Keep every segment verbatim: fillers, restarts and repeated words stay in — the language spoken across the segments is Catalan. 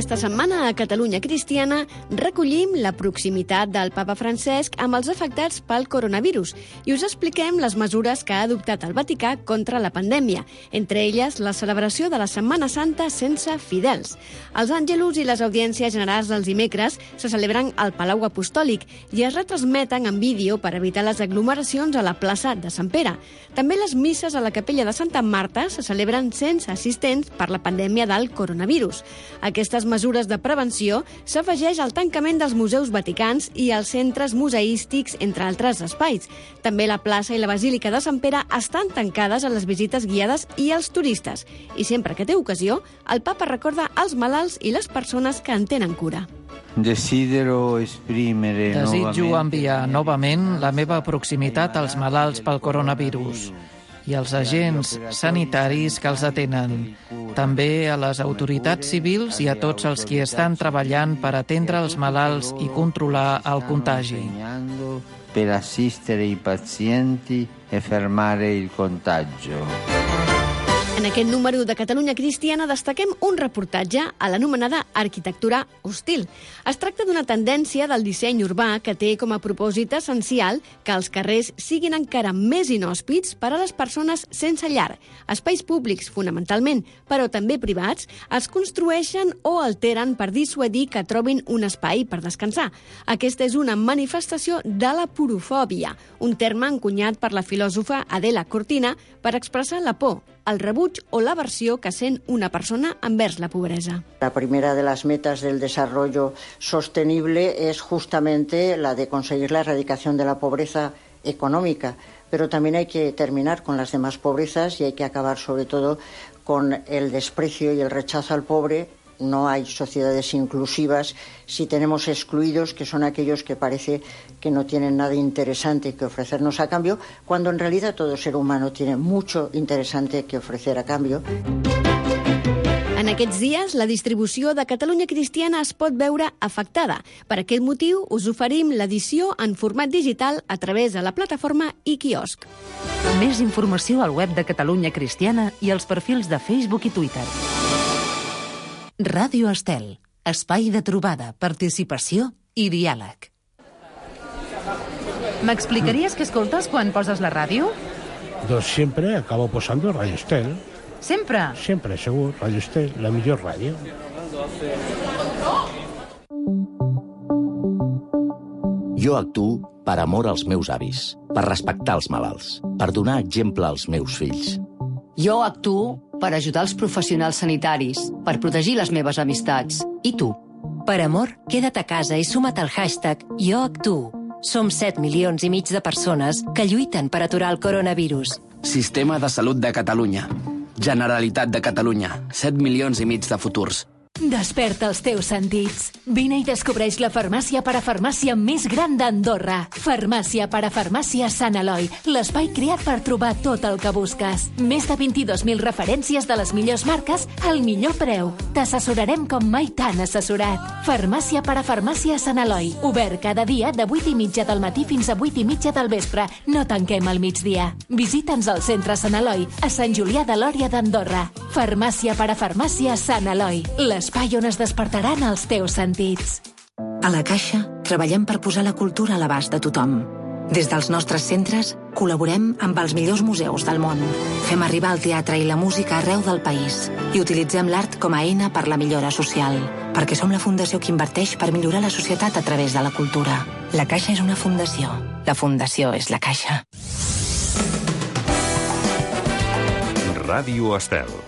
Aquesta setmana a Catalunya Cristiana recollim la proximitat del papa Francesc amb els afectats pel coronavirus i us expliquem les mesures que ha adoptat el Vaticà contra la pandèmia, entre elles la celebració de la Setmana Santa sense fidels. Els àngelus i les audiències generals dels dimecres se celebren al Palau Apostòlic i es retransmeten en vídeo per evitar les aglomeracions a la plaça de Sant Pere. També les misses a la capella de Santa Marta se celebren sense assistents per la pandèmia del coronavirus. Aquestes mesures de prevenció s'afegeix al tancament dels museus vaticans i els centres museístics, entre altres espais. També la plaça i la Basílica de Sant Pere estan tancades a les visites guiades i als turistes. I sempre que té ocasió, el papa recorda als malalts i les persones que en tenen cura. Desidero esprimere Desitjo enviar novament la meva proximitat als malalts pel coronavirus i als agents sanitaris que els atenen, també a les autoritats civils i a tots els qui estan treballant per atendre els malalts i controlar el contagi. Per assistere i pazienti e fermare il contagio. En aquest número de Catalunya Cristiana destaquem un reportatge a l'anomenada arquitectura hostil. Es tracta d'una tendència del disseny urbà que té com a propòsit essencial que els carrers siguin encara més inhòspits per a les persones sense llar. Espais públics, fonamentalment, però també privats, es construeixen o alteren per dissuadir que trobin un espai per descansar. Aquesta és una manifestació de la porofòbia, un terme encunyat per la filòsofa Adela Cortina per expressar la por, el rebuig o l'aversió que sent una persona envers la pobreza. La primera de las metas del desarrollo sostenible es justamente la de conseguir la erradicación de la pobreza económica, pero también hay que terminar con las demás pobrezas y hay que acabar sobre todo con el desprecio y el rechazo al pobre. No hay sociedades inclusivas si tenemos excluidos, que son aquellos que parece que no tienen nada interesante que ofrecernos a cambio, cuando en realidad todo ser humano tiene mucho interesante que ofrecer a cambio. En aquests dies, la distribució de Catalunya Cristiana es pot veure afectada. Per aquest motiu, us oferim l'edició en format digital a través de la plataforma iQiosc. Més informació al web de Catalunya Cristiana i als perfils de Facebook i Twitter. Ràdio Estel, espai de trobada, participació i diàleg. M'explicaries què escoltes quan poses la ràdio? Doncs sempre acabo posando Radio Estel. Sempre? Sempre, segur. Radio Estel, la millor ràdio. Jo actuo per amor als meus avis, per respectar els malalts, per donar exemple als meus fills. Jo actuo per ajudar els professionals sanitaris, per protegir les meves amistats. I tu? Per amor, queda't a casa i suma't al hashtag Jo actuo. Som set milions i mig de persones que lluiten per aturar el coronavirus. Sistema de Salut de Catalunya. Generalitat de Catalunya. set milions i mig de futurs. Desperta els teus sentits. Vine i descobreix la farmàcia parafarmàcia més gran d'Andorra. Farmàcia parafarmàcia Sant Eloi, l'espai creat per trobar tot el que busques. Més de vint-i-dos mil referències de les millors marques al millor preu. T'assessorarem com mai t'han assessorat. Farmàcia parafarmàcia Sant Eloi, obert cada dia de vuit i mitja del matí fins a vuit i mitja del vespre. No tanquem al migdia. Visita'ns al centre Sant Eloi, a Sant Julià de Lòria d'Andorra. Farmàcia parafarmàcia Sant Eloi, l'espai on es despertaran els teus sentits. A la Caixa treballem per posar la cultura a l'abast de tothom. Des dels nostres centres col·laborem amb els millors museus del món. Fem arribar el teatre i la música arreu del país i utilitzem l'art com a eina per la millora social, perquè som la fundació que inverteix per millorar la societat a través de la cultura. La Caixa és una fundació. La fundació és la Caixa. Ràdio Estel.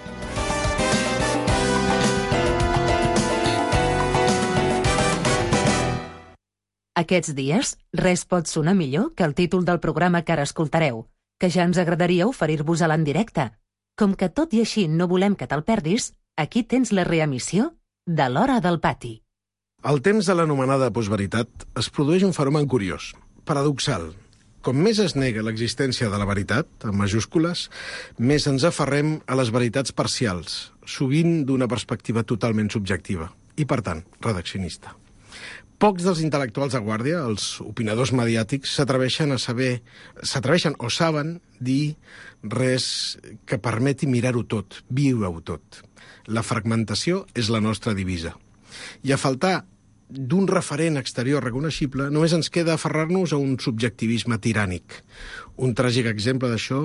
Aquests dies, res pot sonar millor que el títol del programa que ara escoltareu, que ja ens agradaria oferir-vos-la en directe. Com que tot i així no volem que te'l perdis, aquí tens la reemissió de l'Hora del Pati. Al temps de l'anomenada postveritat es produeix un fenomen curiós, paradoxal. Com més es nega l'existència de la veritat, en majúscules, més ens aferrem a les veritats parcials, sovint d'una perspectiva totalment subjectiva i, per tant, redaccionista. Pocs dels intel·lectuals de guàrdia, els opinadors mediàtics, s'atreveixen a saber, s'atreveixen o saben dir res que permeti mirar-ho tot, viure-ho tot. La fragmentació és la nostra divisa. I a faltar d'un referent exterior reconeixible, només ens queda aferrar-nos a un subjectivisme tirànic. Un tràgic exemple d'això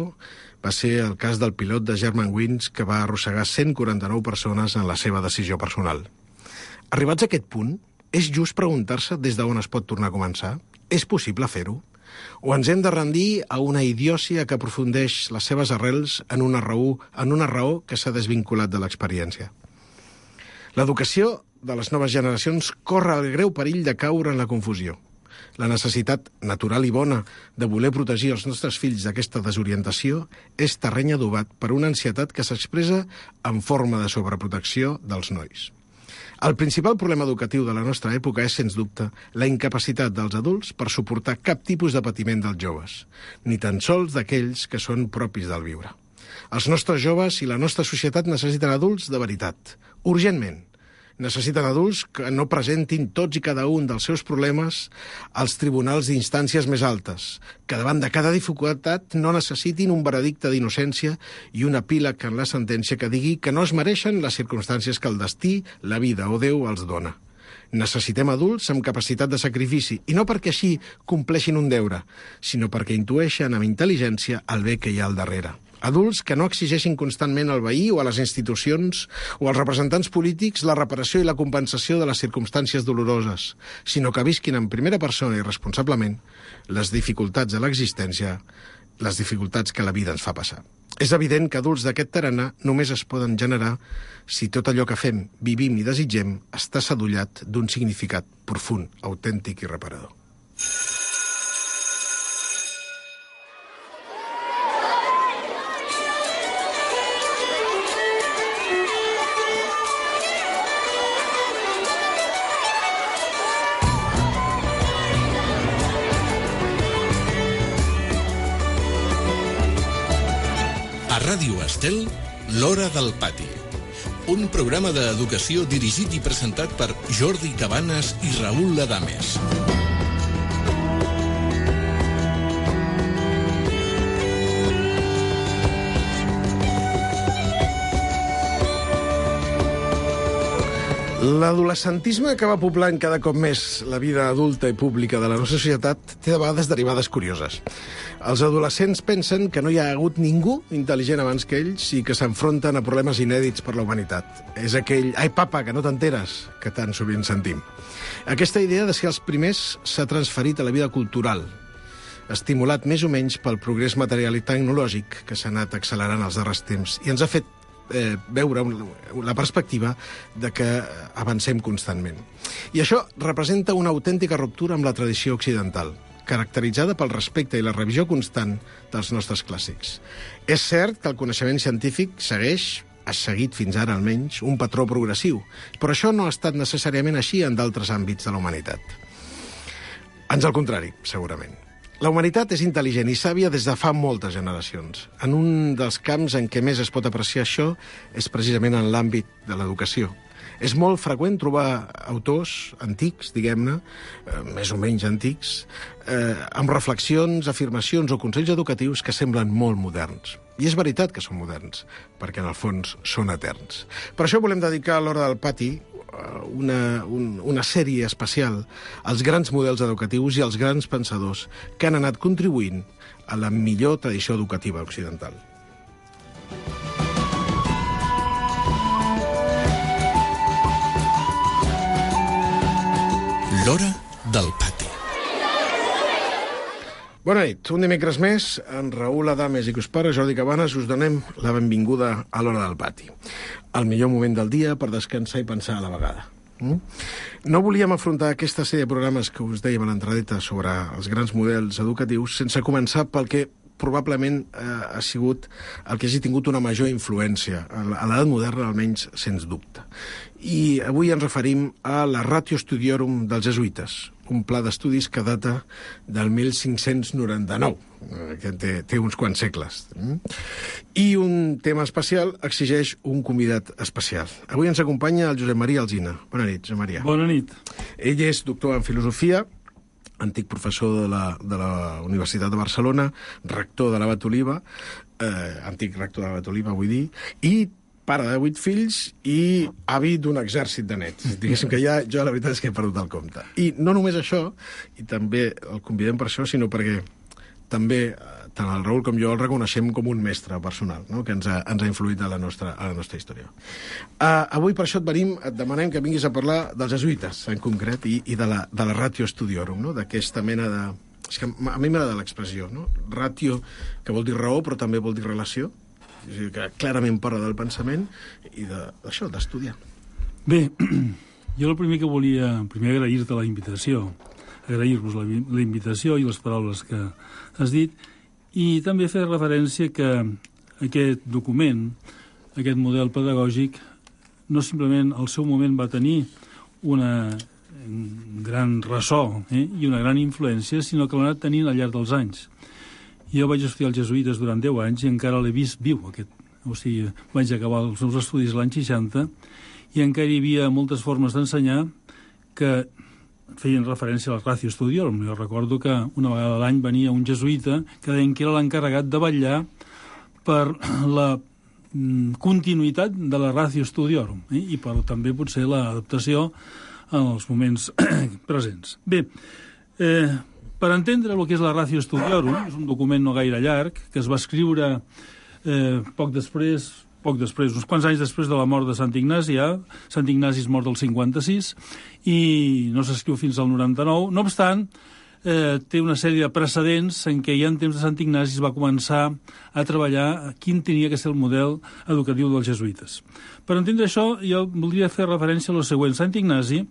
va ser el cas del pilot de Germanwings que va arrossegar cent quaranta-nou persones en la seva decisió personal. Arribats a aquest punt, és just preguntar-se des d'on es pot tornar a començar? És possible fer-ho? O ens hem de rendir a una idiòcia que aprofundeix les seves arrels en una raó, en una raó que s'ha desvinculat de l'experiència? L'educació de les noves generacions corre el greu perill de caure en la confusió. La necessitat natural i bona de voler protegir els nostres fills d'aquesta desorientació és terreny adobat per una ansietat que s'expressa en forma de sobreprotecció dels nois. El principal problema educatiu de la nostra època és, sens dubte, la incapacitat dels adults per suportar cap tipus de patiment dels joves, ni tan sols d'aquells que són propis del viure. Els nostres joves i la nostra societat necessiten adults de veritat, urgentment. Necessiten adults que no presentin tots i cada un dels seus problemes als tribunals d'instàncies més altes, que davant de cada dificultat no necessitin un veredicte d'innocència i un epíleg en la sentència que digui que no es mereixen les circumstàncies que el destí, la vida o Déu els dona. Necessitem adults amb capacitat de sacrifici, i no perquè així compleixin un deure, sinó perquè intueixen amb intel·ligència el bé que hi ha al darrere. Adults que no exigeixin constantment al veí o a les institucions o als representants polítics la reparació i la compensació de les circumstàncies doloroses, sinó que visquin en primera persona i responsablement les dificultats de l'existència, les dificultats que la vida ens fa passar. És evident que adults d'aquest tarannà només es poden generar si tot allò que fem, vivim i desitgem està sadollat d'un significat profund, autèntic i reparador. Ràdio Estel, l'Hora del Pati. Un programa d'educació dirigit i presentat per Jordi Cabanes i Raül Ladames. L'adolescentisme que va poblant cada cop més la vida adulta i pública de la nostra societat té de vegades derivades curioses. Els adolescents pensen que no hi ha hagut ningú intel·ligent abans que ells i que s'enfronten a problemes inèdits per la humanitat. És aquell «ai, papa, que no t'enteres» que tan sovint sentim. Aquesta idea de ser els primers s'ha transferit a la vida cultural, estimulat més o menys pel progrés material i tecnològic que s'ha anat accelerant els darrers temps i ens ha fet eh, veure la perspectiva de que avancem constantment. I això representa una autèntica ruptura amb la tradició occidental, caracteritzada pel respecte i la revisió constant dels nostres clàssics. És cert que el coneixement científic segueix, ha seguit fins ara almenys, un patró progressiu, però això no ha estat necessàriament així en d'altres àmbits de la humanitat. Ans al contrari, segurament. La humanitat és intel·ligent i sàvia des de fa moltes generacions. En un dels camps en què més es pot apreciar això és precisament en l'àmbit de l'educació. És molt freqüent trobar autors antics, diguem-ne, eh, més o menys antics, eh, amb reflexions, afirmacions o consells educatius que semblen molt moderns. I és veritat que són moderns, perquè en el fons són eterns. Per això volem dedicar a l'Hora del Pati una, un, una sèrie especial als grans models educatius i als grans pensadors que han anat contribuint a la millor tradició educativa occidental. L'Hora del Pati. Bona nit. Un dimecres més, en Raül Ladames i que us parla, Jordi Cabanes, us donem la benvinguda a l'Hora del Pati. El millor moment del dia per descansar i pensar a la vegada. Mm? No volíem afrontar aquesta sèrie de programes que us dèiem a l'entradeta sobre els grans models educatius sense començar pel que probablement eh, ha sigut el que hagi tingut una major influència, a l'edat moderna almenys, sens dubte. I avui ens referim a la Ratio Studiorum dels jesuïtes, un pla d'estudis que data del mil cinc-cents noranta-nou, que té, té uns quants segles. I un tema especial exigeix un convidat especial. Avui ens acompanya el Josep Maria Alsina. Bona nit, Josep Maria. Bona nit. Ell és doctor en filosofia, antic professor de la, de la Universitat de Barcelona, rector de l'Abat Oliva, eh, antic rector de l'Abat Oliva, vull dir, i pare de vuit fills i avi d'un exèrcit de nets. Diguéssim que ja, jo la veritat és que he perdut el compte. I no només això, i també el convidem per això, sinó perquè també tant el Raül com jo el reconeixem com un mestre personal, no? Que ens ha, ens ha influït a la nostra, a la nostra història. Uh, avui per això et venim, et demanem que vinguis a parlar dels jesuïtes, en concret, i, i de, la, de la Ratio Studiorum, no? D'aquesta mena de... És que a mi m'agrada l'expressió, no? Ratio, que vol dir raó, però també vol dir relació, que clarament parla del pensament i d'això, d'estudiar. Bé, jo el primer que volia, primer agrair-te la invitació, agrair-vos la, la invitació i les paraules que has dit, i també fer referència que aquest document, aquest model pedagògic, no simplement al seu moment va tenir una gran ressò eh, i una gran influència, sinó que l'ha anat tenint al llarg dels anys. Jo vaig estudiar els jesuïtes durant deu anys i encara l'he vist viu, aquest. O sigui, vaig acabar els meus estudis l'any seixanta i encara hi havia moltes formes d'ensenyar que feien referència a la Ratio Studiorum. Jo recordo que una vegada a l'any venia un jesuïta que deien que era l'encarregat de vetllar per la continuïtat de la Ratio Studiorum eh? I per també potser l'adaptació en els moments presents. Bé, eh, per entendre el que és la Ratio Studiorum, és un document no gaire llarg, que es va escriure eh, poc després, poc després, uns quants anys després de la mort de Sant Ignasi, ja. Sant Ignasi és mort del cinquanta-sis, i no s'escriu fins al noranta-nou. No obstant, eh, té una sèrie de precedents en què ja en temps de Sant Ignasi es va començar a treballar quin tenia que ser el model educatiu dels jesuïtes. Per entendre això, jo voldria fer referència a lo següent. Sant Ignasi,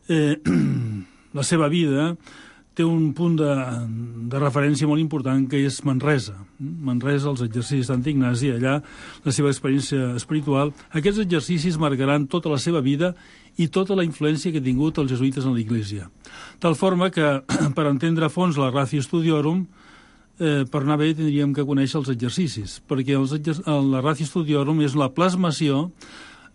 eh, la seva vida té un punt de, de referència molt important, que és Manresa. Manresa, els exercicis de Sant Ignasi, allà la seva experiència espiritual. Aquests exercicis marcaran tota la seva vida i tota la influència que ha tingut els jesuïtes en l'Església. Tal forma que, per entendre a fons la Ratio Studiorum, eh, per anar bé tindríem que conèixer els exercicis, perquè els exer la Ratio Studiorum és la plasmació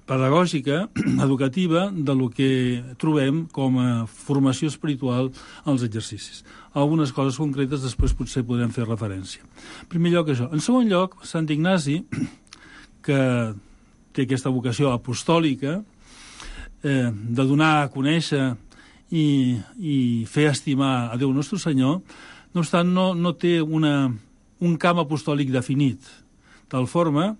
pedagògica, educativa, de lo que trobem com a formació espiritual als exercicis. Algunes coses concretes després potser podrem fer referència. En primer lloc, això. En segon lloc, Sant Ignasi, que té aquesta vocació apostòlica, eh, de donar a conèixer i, i fer estimar a Déu Nostre Senyor, no obstant, no, no té una, un camp apostòlic definit, tal forma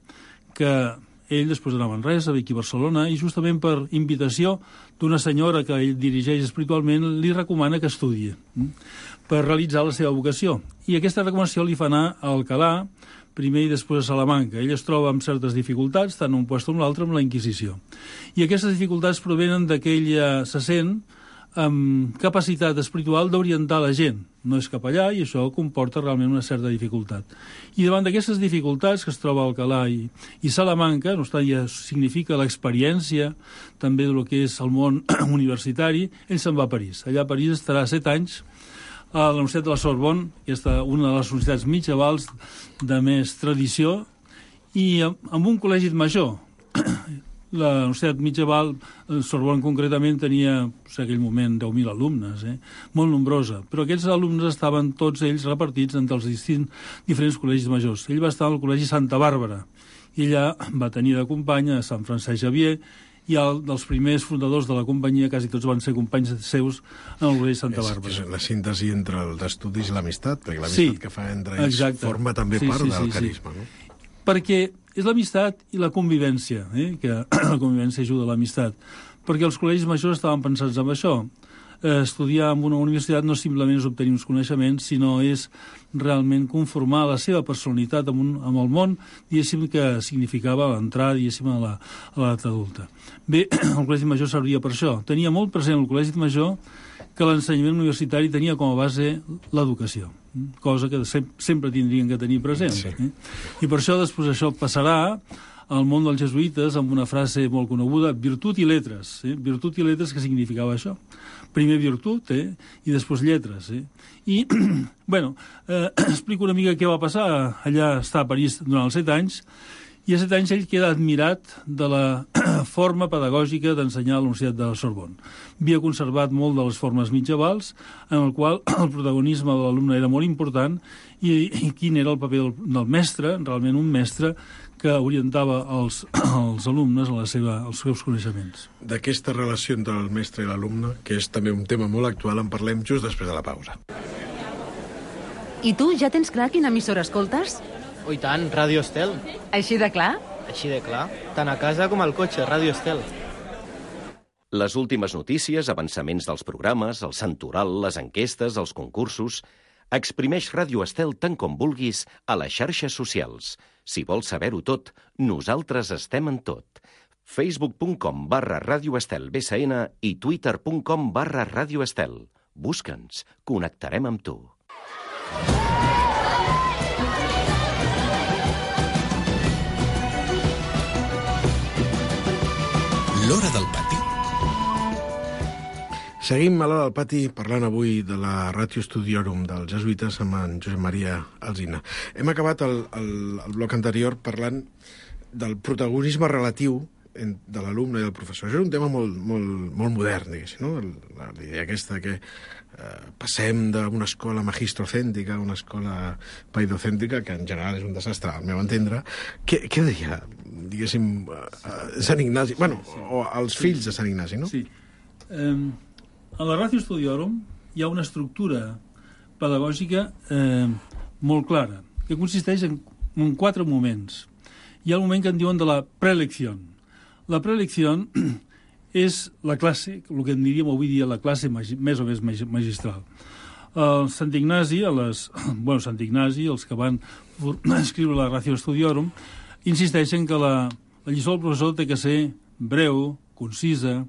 que ell després d'anar a Manresa, ve aquí a Barcelona, i justament per invitació d'una senyora que ell dirigeix espiritualment, li recomana que estudi per realitzar la seva vocació. I aquesta recomanació li fa anar a Alcalà, primer i després a Salamanca. Ell es troba amb certes dificultats, tant un lloc com l'altre, amb la Inquisició. I aquestes dificultats provenen de que ell se sent amb capacitat espiritual d'orientar la gent. No és cap allà i això comporta realment una certa dificultat. I davant d'aquestes dificultats que es troba a Alcalà i, i Salamanca, no obstant ja significa l'experiència també del que és el món universitari, ell se'n va a París. Allà a París estarà set anys a la Universitat de la Sorbonne, que és una de les universitats medievals de més tradició, i amb un col·legi major. La Universitat Medieval, Sorbonne concretament, tenia en aquell moment deu mil alumnes, eh? Molt nombrosa, però aquests alumnes estaven tots ells repartits entre els distints, diferents col·legis majors. Ell va estar al Col·legi Santa Bàrbara, i allà va tenir de company a Sant Francesc Xavier, i el, dels primers fundadors de la companyia, quasi tots van ser companys seus en el Col·legi Santa Bàrbara. És, és la síntesi entre els estudis i l'amistat, perquè l'amistat sí, que fa entre ells exacte. Forma també sí, part sí, del sí, carisma. Sí. No? Perquè és l'amistat i la convivència, eh? Que la convivència ajuda a l'amistat, perquè els col·legis majors estaven pensats en això. Eh, estudiar en una universitat no simplement és obtenir uns coneixements, sinó és realment conformar la seva personalitat amb, un, amb el món, diguéssim, que significava l'entrar, diguéssim, a l'edat adulta. Bé, el col·legi major serviria per això. Tenia molt present el col·legi major que l'ensenyament universitari tenia com a base l'educació, cosa que sempre tindrien que tenir present. Sí. Eh? I per això després això passarà al món dels jesuïtes amb una frase molt coneguda, virtut i letres. Eh? Virtut i letres, què significava això? Primer virtut, eh? I després lletres. Eh? I, bueno, eh, explico una mica què va passar. Allà està a París durant els set anys, i a set anys ell queda admirat de la forma pedagògica d'ensenyar a la Universitat de la Sorbonne. Havia conservat molt de les formes medievals, en el qual el protagonisme de l'alumne era molt important, i, i quin era el paper del, del mestre, realment un mestre, que que orientava els, els alumnes a la seva, als seus coneixements. D'aquesta relació entre el mestre i l'alumne, que és també un tema molt actual, en parlem just després de la pausa. I tu, ja tens clar quina emissora escoltes? Oh, i tant, Ràdio Estel. Així de clar? Així de clar. Tant a casa com al cotxe, Ràdio Estel. Les últimes notícies, avançaments dels programes, el santoral, les enquestes, els concursos... Exprimeix Ràdio Estel tant com vulguis a les xarxes socials. Si vols saber-ho tot, nosaltres estem en tot. facebook punt com barra Ràdio Estel B S N i twitter punt com barra Ràdio Estel. Busca'ns, connectarem amb tu. L'Hora del Pati. Seguim a l'Hora del Pati parlant avui de la Ratio Studiorum dels jesuïtes amb en Josep Maria Alsina. Hem acabat el, el, el bloc anterior parlant del protagonisme relatiu de l'alumne i del professor. Això és un tema molt, molt, molt modern, diguéssim, no? La, la idea aquesta que eh, passem d'una escola magistrocèntrica a una escola paidocèntrica, que en general és un desastre, al meu entendre. Què, què deia, diguéssim, eh, Sant Ignasi, bueno, o els fills de Sant Ignasi, no? Sí. Um... A la Ratio Studiorum hi ha una estructura pedagògica eh, molt clara, que consisteix en, en quatre moments. Hi ha el moment que en diuen de la preelecció. La preelecció és la classe, el que en diríem avui dia la classe magi, més o més magistral. El Sant Ignasi, a les, bueno, Sant Ignasi, els que van escriure la Ratio Studiorum, insisteixen que la, la lliçó del professor té que ser breu, concisa,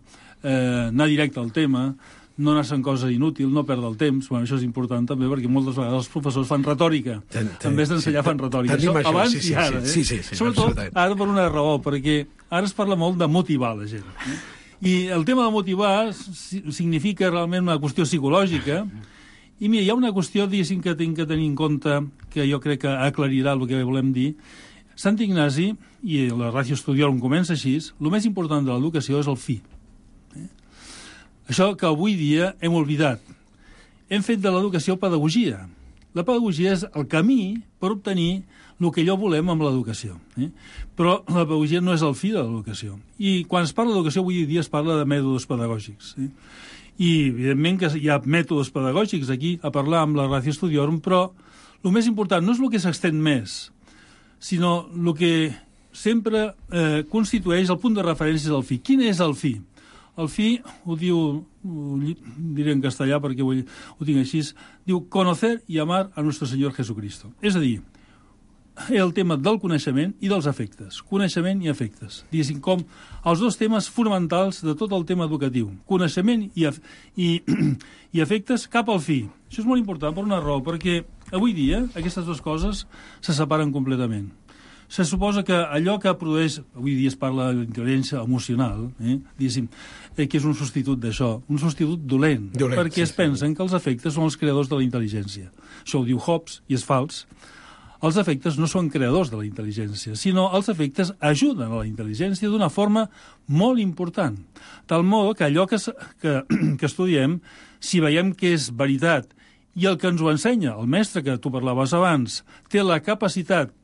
eh, anar directe al tema, no anar en cosa inútil, no perdre el temps. Bueno, això és important també, perquè moltes vegades els professors fan retòrica. Ten, ten, en vez d'ensenyar sí, fan retòrica. Això, això abans sí, sí, i ara. Sí, sí, sí, eh? Sobretot ara per una raó, perquè ara es parla molt de motivar la gent. Eh? I el tema de motivar significa realment una qüestió psicològica. I mira, hi ha una qüestió, diguéssim, que tinc que tenir en compte, que jo crec que aclarirà el que volem dir. Sant Ignasi, i la Ratio Studiorum comença així, el més important de l'educació és el fi. Això que avui dia hem oblidat. Hem fet de l'educació pedagogia. La pedagogia és el camí per obtenir el que allò volem amb l'educació. Eh? Però la pedagogia no és el fi de l'educació. I quan es parla d'educació, avui dia es parla de mètodes pedagògics. Eh? I, evidentment, que hi ha mètodes pedagògics aquí a parlar amb la Ratio Studiorum, però el més important no és el que s'extén més, sinó el que sempre eh, constitueix el punt de referència és el fi. Quin és el fi? El fi, ho diu, ho diré en castellà perquè ho, ho tinc així, diu conocer y amar a nuestro Señor Jesucristo. És a dir, el tema del coneixement i dels afectes. Coneixement i afectes. Diguéssim, com els dos temes fonamentals de tot el tema educatiu. Coneixement i, i, i afectes cap al fi. Això és molt important per una raó, perquè avui dia aquestes dues coses se separen completament. Se suposa que allò que produeix, avui dia es parla d'intel·ligència emocional, eh, diguéssim, eh, que és un substitut d'això, un substitut dolent, dolent perquè sí, es pensen sí. que els efectes són els creadors de la intel·ligència. Això ho diu Hobbes i és fals. Els efectes no són creadors de la intel·ligència, sinó els efectes ajuden a la intel·ligència d'una forma molt important. Tal modo que allò que, que, que estudiem, si veiem que és veritat i el que ens ho ensenya, el mestre que tu parlaves abans, té la capacitat.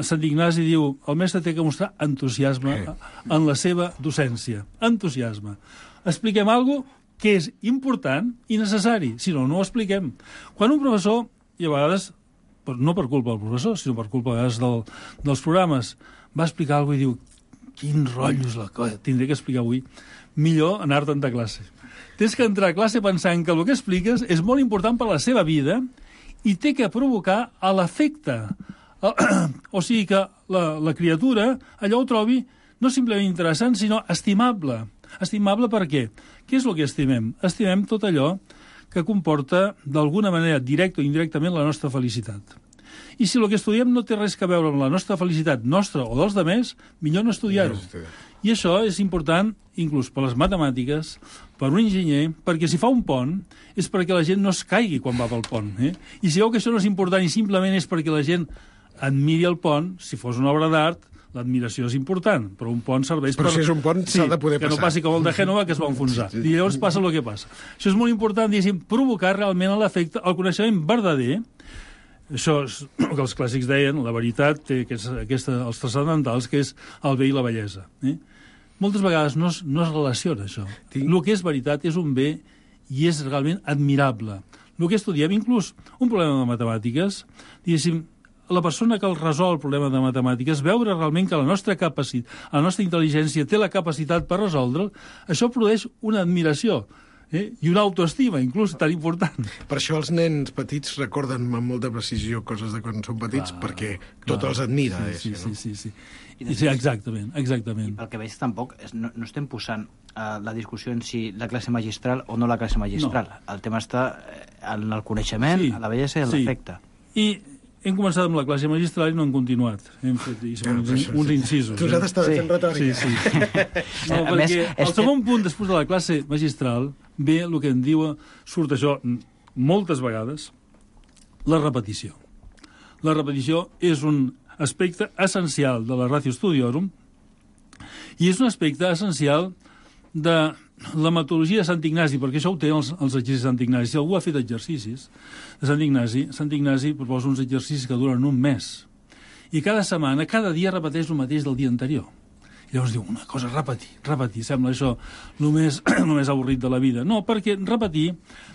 Sant Ignasi diu, el mestre té que mostrar entusiasme en la seva docència. Entusiasme. Expliquem alguna cosa que és important i necessari, si no, no ho expliquem. Quan un professor, i a vegades, no per culpa del professor, sinó per culpa a vegades del, dels programes, va explicar alguna cosa i diu, quin rotllo és la cosa, tindré que explicar avui. Millor anar-te'n de classe. Tens que entrar a classe pensant que el que expliques és molt important per a la seva vida i té que provocar a l'efecte. O sigui que la, la criatura allò ho trobi no simplement interessant, sinó estimable. Estimable per què? Què és el que estimem? Estimem tot allò que comporta d'alguna manera, directa o indirectament, la nostra felicitat. I si el que estudiem no té res a veure amb la nostra felicitat nostra o dels demés, millor no estudiar-ho. I això és important inclús per les matemàtiques, per un enginyer, perquè si fa un pont és perquè la gent no es caigui quan va pel pont. Eh? I si veu que això no és important i simplement és perquè la gent admiri el pont, si fos una obra d'art, l'admiració és important, però un pont serveix però per... Però si és un pont s'ha sí, de poder que passar. Que no passi com el de Gènova, que es va enfonsar. Sí, sí. I llavors passa el que passa. Això és molt important, diguéssim, provocar realment l'efecte, el coneixement verdader, això és el que els clàssics deien, la veritat té aquesta, aquesta, els transcendentals, que és el bé i la bellesa. Eh? Moltes vegades no es, no es relaciona això. Tinc... El que és veritat és un bé i és realment admirable. El que estudiem, inclús un problema de matemàtiques, diguéssim, la persona que el resol el problema de matemàtiques, veure realment que la nostra capacitat, la nostra intel·ligència té la capacitat per resoldre'l, això produeix una admiració. Eh? I una autoestima, inclús, tan important. Per això els nens petits recorden amb molta precisió coses de quan són petits, clar, perquè tot clar. Els admira. Sí, eh, sí, no? sí, sí, sí. I sí, exactament, exactament. I pel que veig, tampoc és, no, no estem posant uh, la discussió en si la classe magistral o no la classe magistral. No. El tema està en el coneixement, sí, a la bellesa i en sí. l'efecte. I hem començat amb la classe magistral i no hem continuat. Hem fet i no, uns, uns incisos. Tu has d'estar fent retòrica. Sí, sí. No, perquè el segon punt, després de la classe magistral, ve el que en diu, surt això moltes vegades, la repetició. La repetició és un aspecte essencial de la Ratio Studiorum i és un aspecte essencial de la metodologia de Sant Ignasi, perquè això ho té els, els exercicis de Sant Ignasi. Si algú ha fet exercicis de Sant Ignasi, Sant Ignasi proposa uns exercicis que duren un mes. I cada setmana, cada dia repeteix el mateix del dia anterior. I llavors diu, una cosa, repetir, repetir, sembla això el més, el més avorrit de la vida. No, perquè repetir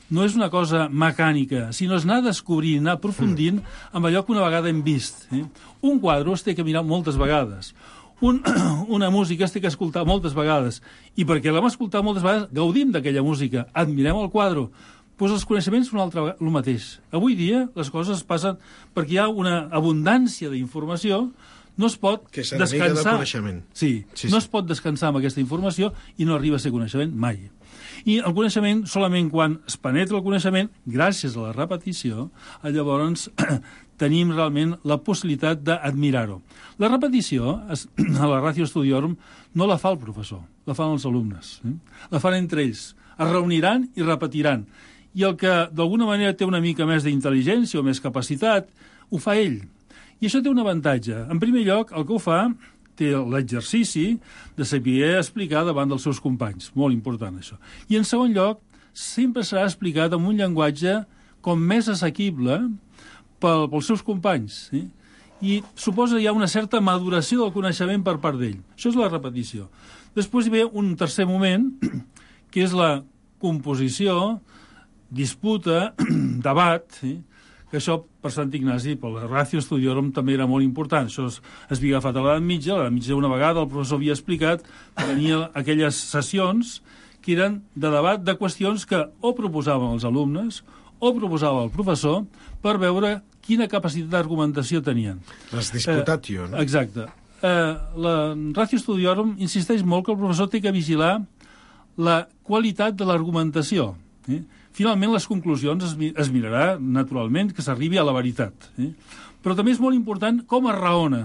no és una cosa mecànica, sinó és anar descobrint, anar aprofundint amb allò que una vegada hem vist. Eh? Un quadre es té que mirar moltes vegades. Un, una música es té que escoltar moltes vegades. I perquè l'hem escoltat moltes vegades, gaudim d'aquella música, admirem el quadre. Doncs els coneixements són altra vegada el mateix. Avui dia les coses passen perquè hi ha una abundància d'informació, no es pot que descansar. De coneixement. Sí, sí, no sí. es pot descansar amb aquesta informació i no arriba a ser coneixement mai. I el coneixement, solament quan es penetra el coneixement, gràcies a la repetició, llavors tenim realment la possibilitat d'admirar-ho. La repetició, a la Ratio Studiorum, no la fa el professor, la fan els alumnes. Eh? La fan entre ells. Es reuniran i repetiran. I el que d'alguna manera té una mica més d'intel·ligència o més capacitat, ho fa ell. I això té un avantatge. En primer lloc, el que ho fa té l'exercici de saber explicar davant dels seus companys. Molt important, això. I, en segon lloc, sempre serà explicat amb un llenguatge com més assequible pel, pels seus companys. Eh? I suposa hi ha una certa maduració del coneixement per part d'ell. Això és la repetició. Després hi ve un tercer moment, que és la composició, disputa, debat, eh? que això per Sant Ignasi, per la Ratio Studiorum, també era molt important. Això es, es havia agafat a l'edat mitja, a l'edat mitja una vegada el professor havia explicat que tenia aquelles sessions que eren de debat de qüestions que o proposaven els alumnes o proposava el professor per veure quina capacitat d'argumentació tenien. Les disputatio, eh, no? Exacte. Eh, la Ratio Studiorum insisteix molt que el professor té que vigilar la qualitat de l'argumentació. Eh? Finalment, les conclusions es, es mirarà, naturalment, que s'arribi a la veritat. Eh? Però també és molt important com es raona.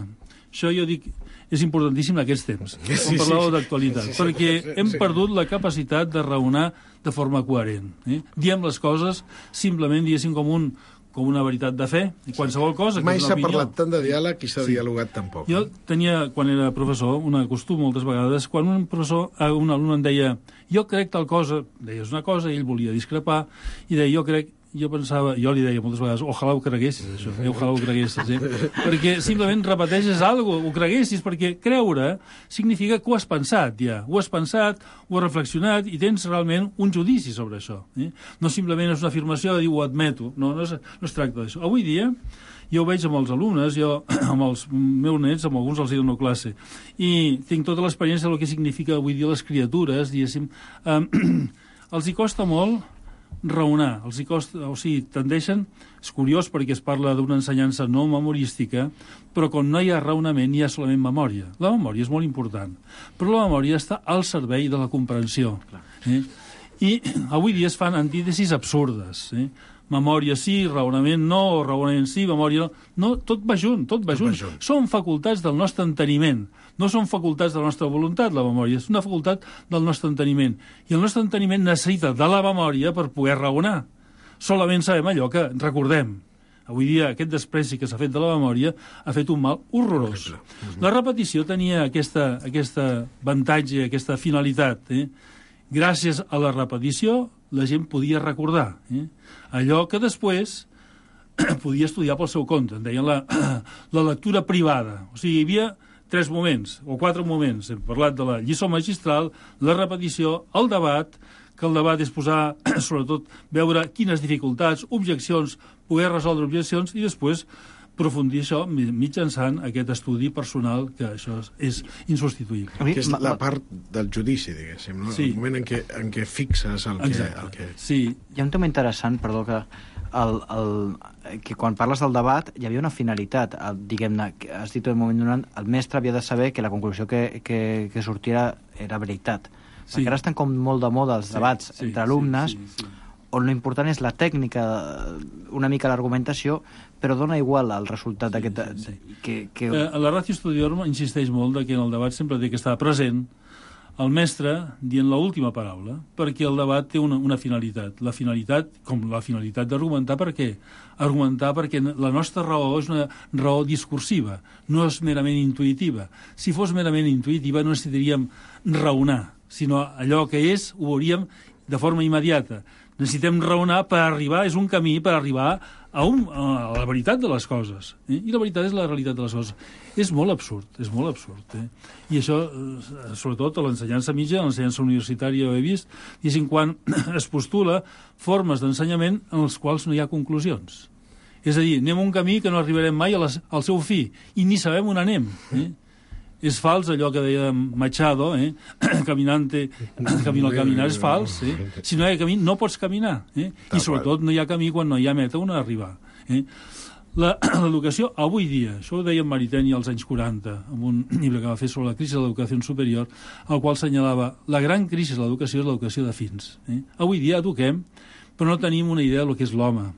Això jo dic, és importantíssim en aquests temps, sí, quan parlàveu sí, d'actualitat, sí, sí, perquè sí, sí, hem sí. perdut la capacitat de raonar de forma coherent. Eh? Diem les coses simplement, diguéssim, com un com una veritat de fe, i qualsevol cosa... Mai s'ha opinió... parlat tant de diàleg i s'ha sí. dialogat tan poc. Jo tenia, quan era professor, un costum moltes vegades, quan un professor, un alumne em deia jo crec tal cosa, deies una cosa, i ell volia discrepar, i deia jo crec, jo pensava, jo li deia moltes vegades, ojalà ho creguessis, això, eh? ojalà ho creguessis, eh? perquè simplement repeteixes alguna cosa, ho creguessis, perquè creure significa que ho has pensat ja, ho has pensat, ho has reflexionat i tens realment un judici sobre això. Eh? No simplement és una afirmació de dir ho admeto, no, no, és, no es tracta d'això. Avui dia, jo ho veig amb els alumnes, jo amb els meus nets, amb alguns els hi dono classe, i tinc tota l'experiència del que significa avui dia les criatures, diguéssim, eh, els hi costa molt raonar, els hi costa, o sigui, tendeixen, és curiós perquè es parla d'una ensenyança no memorística, però quan no hi ha raonament hi ha solament memòria. La memòria és molt important, però la memòria està al servei de la comprensió. Eh? I avui dia es fan antítesis absurdes, eh? Memòria sí, raonament no, o raonament sí, memòria no. No, tot va junt, tot va junt. junt. Són facultats del nostre enteniment. No són facultats de la nostra voluntat, la memòria. És una facultat del nostre enteniment. I el nostre enteniment necessita de la memòria per poder raonar. Solament sabem allò que recordem. Avui dia aquest despreci que s'ha fet de la memòria ha fet un mal horrorós. La repetició tenia aquesta, aquesta avantatge, aquesta finalitat. Eh? Gràcies a la repetició la gent podia recordar. Eh? Allò que després podia estudiar pel seu compte. En deien la, la lectura privada. O sigui, hi havia tres moments, o quatre moments. Hem parlat de la lliçó magistral, la repetició, el debat, que el debat és posar, sobretot, veure quines dificultats, objeccions, poder resoldre objeccions, i després aprofundir això mitjançant aquest estudi personal, que això és insubstituïble. Que és la part del judici, diguéssim, no? Sí. El moment en què, en què fixes el que... El que... Sí. Hi ha un tema interessant, perdó, que, el, el, que quan parles del debat hi havia una finalitat. Diguem-ne, has dit en un moment donat, el mestre havia de saber que la conclusió que, que, que sortia era veritat. Sí. Perquè ara estan com molt de moda els debats sí, sí, entre alumnes, sí, sí, sí. on l'important és la tècnica, una mica l'argumentació, però dona igual el resultat sí, d'aquest... Sí, sí. Que, que... Eh, la Ratio Studiorum insisteix molt que en el debat sempre té que estar present el mestre dient l'última paraula, perquè el debat té una, una finalitat. La finalitat, com la finalitat d'argumentar, per què? Argumentar perquè la nostra raó és una raó discursiva, no és merament intuïtiva. Si fos merament intuïtiva no necessitaríem raonar, sinó allò que és ho veuríem de forma immediata. Necessitem raonar per arribar, és un camí per arribar a, un, a la veritat de les coses. Eh? I la veritat és la realitat de les coses. És molt absurd, és molt absurd. Eh? I això, sobretot a l'ensenyança mitja, a l'ensenyança universitària ho he vist, diguéssim, quan es postula formes d'ensenyament en les quals no hi ha conclusions. És a dir, anem un camí que no arribarem mai a les, al seu fi, i ni sabem on anem. Eh? És fals allò que deia Machado, eh? Caminante, camino al caminar, és fals. Eh? Si no hi ha camí, no pots caminar. Eh? I sobretot no hi ha camí quan no hi ha meta on arribar. Eh? L'educació, avui dia, això ho deia Mariteni als anys quaranta, en un llibre que va fer sobre la crisi de l'educació superior, al qual assenyalava la gran crisi de l'educació és l'educació de fins. Eh? Avui dia eduquem, però no tenim una idea del que és l'home,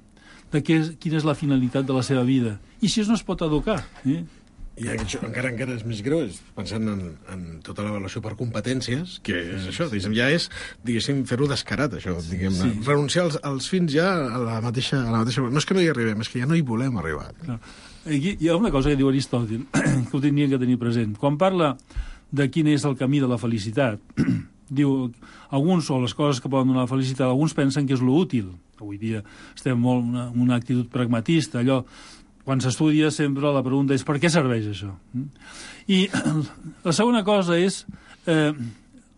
de què és, quina és la finalitat de la seva vida. I si no es pot educar, eh? I això encara encara és més greu, és pensant en, en tota l'avaluació per competències, que és això, diguéssim, ja és, diguéssim, fer-ho descarat, això, diguem, sí. Renunciar als, als fins ja a la mateixa... A la mateixa... No és que no hi arribem, és que ja no hi volem arribar. Clar. Aquí hi ha una cosa que diu Aristòtil, que ho tindríem que tenir present. Quan parla de quin és el camí de la felicitat, diu, alguns, o les coses que poden donar la felicitat, alguns pensen que és l'útil. Avui dia estem molt en una, una actitud pragmatista, allò... Quan s'estudia sempre la pregunta és per què serveix això? I la segona cosa és eh,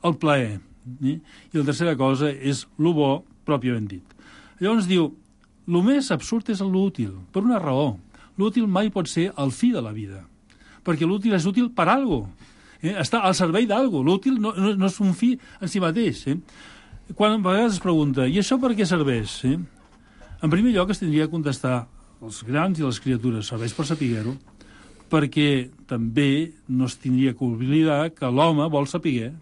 el plaer. Eh? I la tercera cosa és lo bo pròpiament dit. Llavors diu, el més absurd és l'útil, per una raó. L'útil mai pot ser el fi de la vida, perquè l'útil és útil per alguna cosa. Eh? Està al servei d'alguna cosa. L'útil no, no, no és un fi en si mateix. Eh? Quan a vegades es pregunta, i això per què serveix? Eh? En primer lloc es tindria que contestar els grans i les criatures, serveix per saber-ho, perquè també no es tindria que oblidar que l'home vol saber.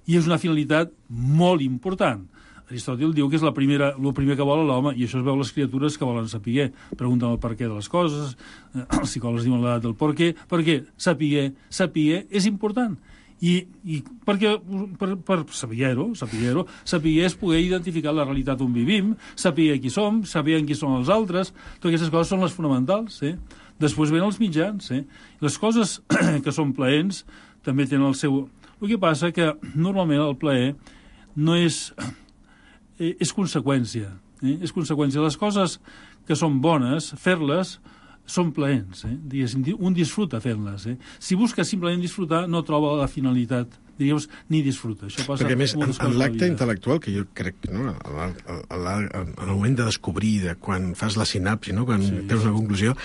I és una finalitat molt important. Aristòtil diu que és la primera, el primer que vol l'home, i això es veu les criatures que volen saber. Pregunten el per què de les coses, els psicòlegs diuen l'edat del per què, perquè saber, saber és important. I, i perquè, per, per saber-ho, saber-ho, saber és poder identificar la realitat on vivim, saber qui som, saber en qui són els altres, totes aquestes coses són les fonamentals. Eh? Després venen els mitjans. Eh? Les coses que són plaents també tenen el seu... El que passa que normalment el plaer no és... Eh, és conseqüència. Eh? És conseqüència. Les coses que són bones, fer-les, són plaents, eh? Diguéssim, un disfruta fent-les. Eh? Si busca simplement disfrutar, no troba la finalitat, diguem, ni disfruta. Això passa. Perquè, més, en, en l'acte intel·lectual, que jo crec que no, en el moment de descobrir, de quan fas la sinapsi, no? Quan sí, tens una conclusió,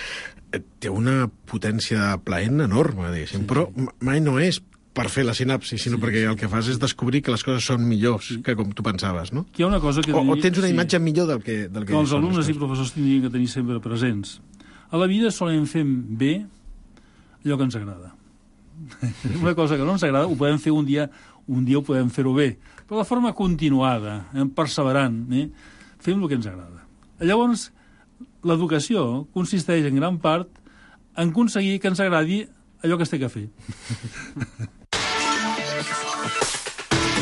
té una potència plaent enorme, diguéssim, sí, però sí. Mai no és per fer la sinapsi, sinó sí, perquè el que fas és descobrir que les coses són millors sí. que com tu pensaves, no? Que hi ha una cosa que o, diria, o tens una sí. imatge millor del que... Del que, que els alumnes i professors tindrien que tenir sempre presents. A la vida solem fer bé allò que ens agrada. Una cosa que no ens agrada ho podem fer un dia, un dia ho podem fer-ho bé, però de forma continuada, eh, perseverant, eh, fem el que ens agrada. Llavors, l'educació consisteix en gran part en aconseguir que ens agradi allò que es té que fer.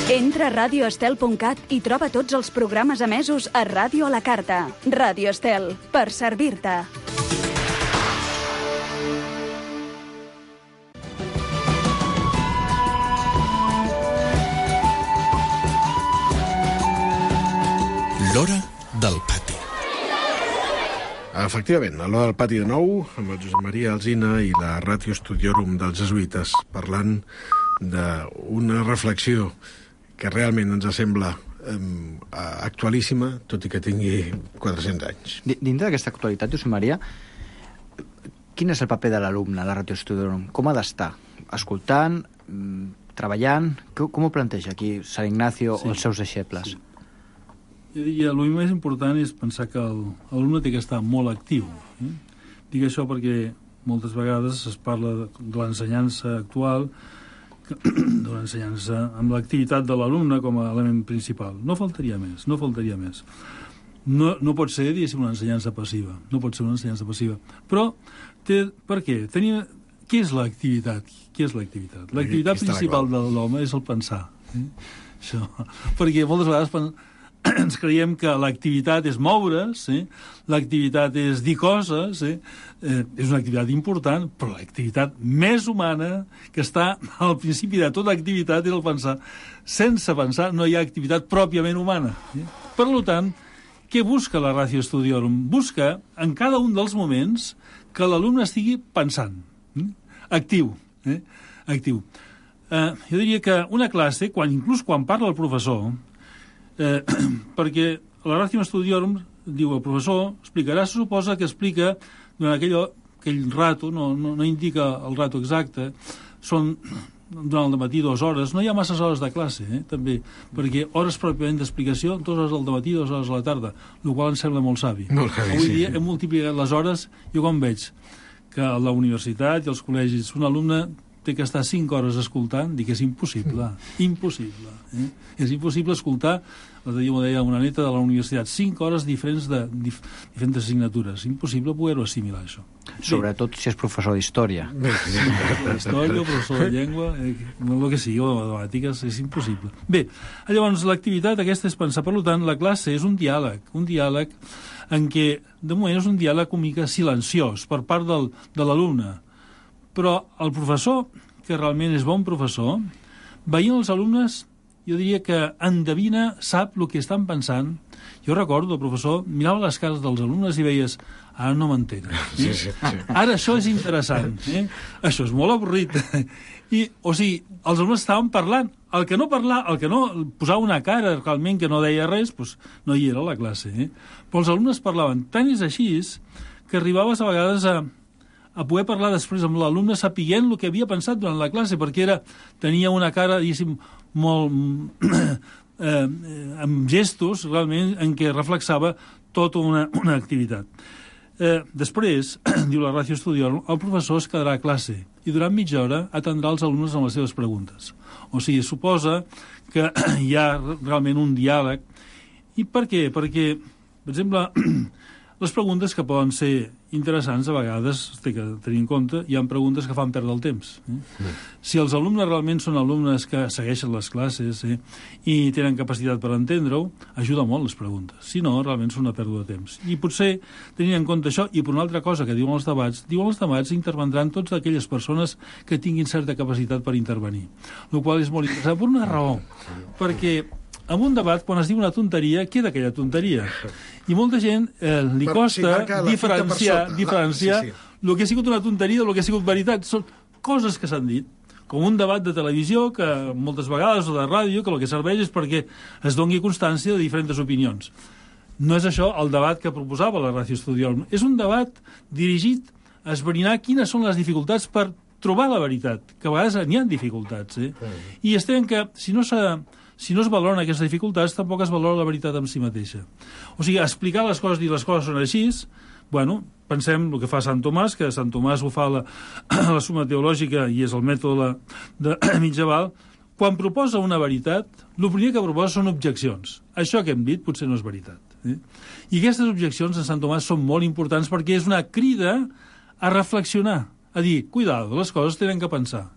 Entra a radio estel punt cat i troba tots els programes emesos a Ràdio a la Carta. Ràdio Estel, per servir-te. L'hora del pati. Efectivament, a l'Hora del Pati de nou, amb el Josep Maria Alsina i la Ratio Studiorum dels Jesuïtes, parlant d'una reflexió que realment ens sembla eh, actualíssima, tot i que tingui quatre-cents anys. Dintre d'aquesta actualitat, Josep Maria, quin és el paper de l'alumne a la Ratio Studiorum? Com ha d'estar? Escoltant, treballant? Com ho planteja aquí Sant Ignacio sí. o els seus deixebles? Sí. Jo diria, el més important és pensar que l'alumne té que estar molt actiu. Eh? Dic això perquè moltes vegades es parla de l'ensenyança actual, de l'ensenyança amb l'activitat de l'alumne com a element principal. No faltaria més, no faltaria més. No, no pot ser, diguéssim, una ensenyança passiva. No pot ser una ensenyança passiva. Però, té, per què? Tenia, què és l'activitat? Què és l'activitat? L'activitat principal de l'home és el pensar. Eh? Això. Perquè moltes vegades ens creiem que l'activitat és moure's, eh? L'activitat és dir coses, eh? Eh, és una activitat important, però l'activitat més humana, que està al principi de tota activitat, és el pensar. Sense pensar no hi ha activitat pròpiament humana. Eh? Per tant, què busca la Ratio Studiorum? Busca, en cada un dels moments, que l'alumne estigui pensant, eh? actiu. Eh? actiu. Eh, jo diria que una classe, quan, inclús quan parla el professor, Eh, perquè la Ratio Studiorum, diu el professor, explicarà, se suposa que explica durant aquell, aquell rato, no, no, no indica el rato exacte, són durant el matí dues hores, no hi ha masses hores de classe, eh, també, perquè hores pròpiament d'explicació, dues hores al matí, dues hores a la tarda, el qual em sembla molt savi. Molt savi, Avui dia sí. Hem multiplicat les hores, jo com veig que a la universitat i als col·legis un alumne té que estar cinc hores escoltant, dic que és impossible, impossible. Eh? És impossible escoltar, l'altre dia m'ho deia una neta de la universitat, cinc hores diferents de dif, diferents assignatures. Impossible poder-ho assimilar, això. Sobretot si és professor d'història. Història, professor de llengua, eh, el que sigui, o de matemàtiques, és impossible. Bé, llavors l'activitat aquesta és pensar, per tant, la classe és un diàleg, un diàleg en què, de moment, és un diàleg una mica silenciós per part del, de l'alumne. Però el professor, que realment és bon professor, veient els alumnes, jo diria que endevina, sap el que estan pensant. Jo recordo, el professor mirava les cares dels alumnes i veies, ara no m'entenen. Eh? Sí, sí, sí. Ara això és interessant. Eh? Això és molt avorrit. I, o sigui, els alumnes estaven parlant. El que no parlar, el que no posava una cara realment que no deia res, doncs no hi era a la classe. Eh? Però els alumnes parlaven. Tant és així que arribaves a vegades a a poder parlar després amb l'alumne sapiguent el que havia pensat durant la classe, perquè era, tenia una cara, diguéssim, molt eh, amb gestos, realment, en què reflexava tota una, una activitat. Eh, després, diu la Ratio Studiorum, el professor es quedarà a classe i durant mitja hora atendrà els alumnes amb les seves preguntes. O sigui, suposa que hi ha realment un diàleg. I per què? Perquè, per exemple, les preguntes que poden ser interessants a vegades, té que tenir en compte, hi ha preguntes que fan perdre el temps. Eh? Sí. Si els alumnes realment són alumnes que segueixen les classes eh, i tenen capacitat per entendre-ho, ajuda molt les preguntes. Si no, realment són una pèrdua de temps. I potser, tenint en compte això, i per una altra cosa que diuen els debats, diuen els debats intervendran totes aquelles persones que tinguin certa capacitat per intervenir. El qual és molt interessant per una raó. Perquè en un debat, quan es diu una tonteria, queda aquella tonteria. I molta gent eh, li costa sí, diferenciar, diferenciar sí, sí. el que ha sigut una tonteria del que ha sigut veritat. Són coses que s'han dit, com un debat de televisió, que moltes vegades, o de ràdio, que el que serveix és perquè es doni constància de diferents opinions. No és això el debat que proposava la Ratio Studiorum. És un debat dirigit a esbrinar quines són les dificultats per trobar la veritat, que a vegades n'hi ha dificultats. Eh? I estem que, si no s'ha... Si no es valoren aquestes dificultats, tampoc es valora la veritat en si mateixa. O sigui, explicar les coses, dir les coses són així, bueno, pensem el que fa Sant Tomàs, que Sant Tomàs ho fa la, la suma teològica i és el mètode de, de mitjaval. Quan proposa una veritat, el primer que proposa són objeccions. Això que hem dit potser no és veritat. Eh? I aquestes objeccions en Sant Tomàs són molt importants perquè és una crida a reflexionar, a dir, cuidado, les coses tenen que pensar.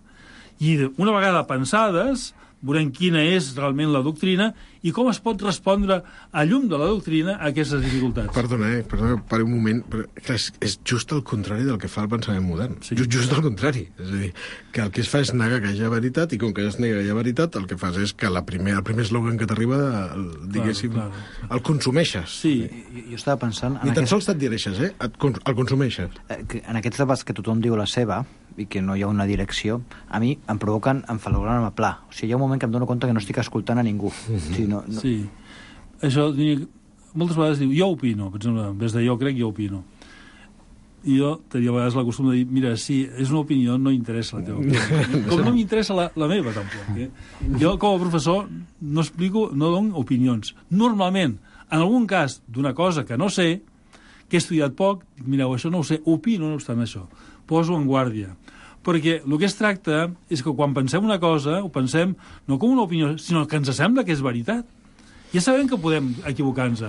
I una vegada pensades, veurem quina és realment la doctrina i com es pot respondre a llum de la doctrina a aquestes dificultats. Perdona, eh? Perdona, pari un moment. Però, clar, és, és just el contrari del que fa el pensament modern. Sí. Just, just el contrari. És a dir, que el que es fa és negar que hi ha veritat, i com que es nega que hi ha veritat, el que fas és que la primer, el primer eslògan que t'arriba, diguéssim, claro, claro, claro. el consumeixes. Sí, jo, jo estava pensant... Ni tan aquest... sols t'adhereixes, eh? Et, el consumeixes. En aquests debats que tothom diu la seva, i que no hi ha una direcció, a mi em provoquen enfalorar-me pla. O sigui, hi ha un moment que em dono compte que no estic escoltant a ningú. Mm-hmm. O sigui, no, no... Sí. Això, moltes vegades diu, jo opino, per exemple, en vez de jo crec, jo opino. I jo tenia a vegades la costum de dir, mira, si és una opinió, no interessa la teva opinió. Com no m'interessa la, la meva, tampoc. Eh? Jo, com a professor, no explico, no dono opinions. Normalment, en algun cas d'una cosa que no sé, que he estudiat poc, mireu, això no ho sé, opino, no obstant això. Poso en guàrdia. Perquè el que es tracta és que quan pensem una cosa, ho pensem no com una opinió, sinó que ens sembla que és veritat. Ja sabem que podem equivocar-nos.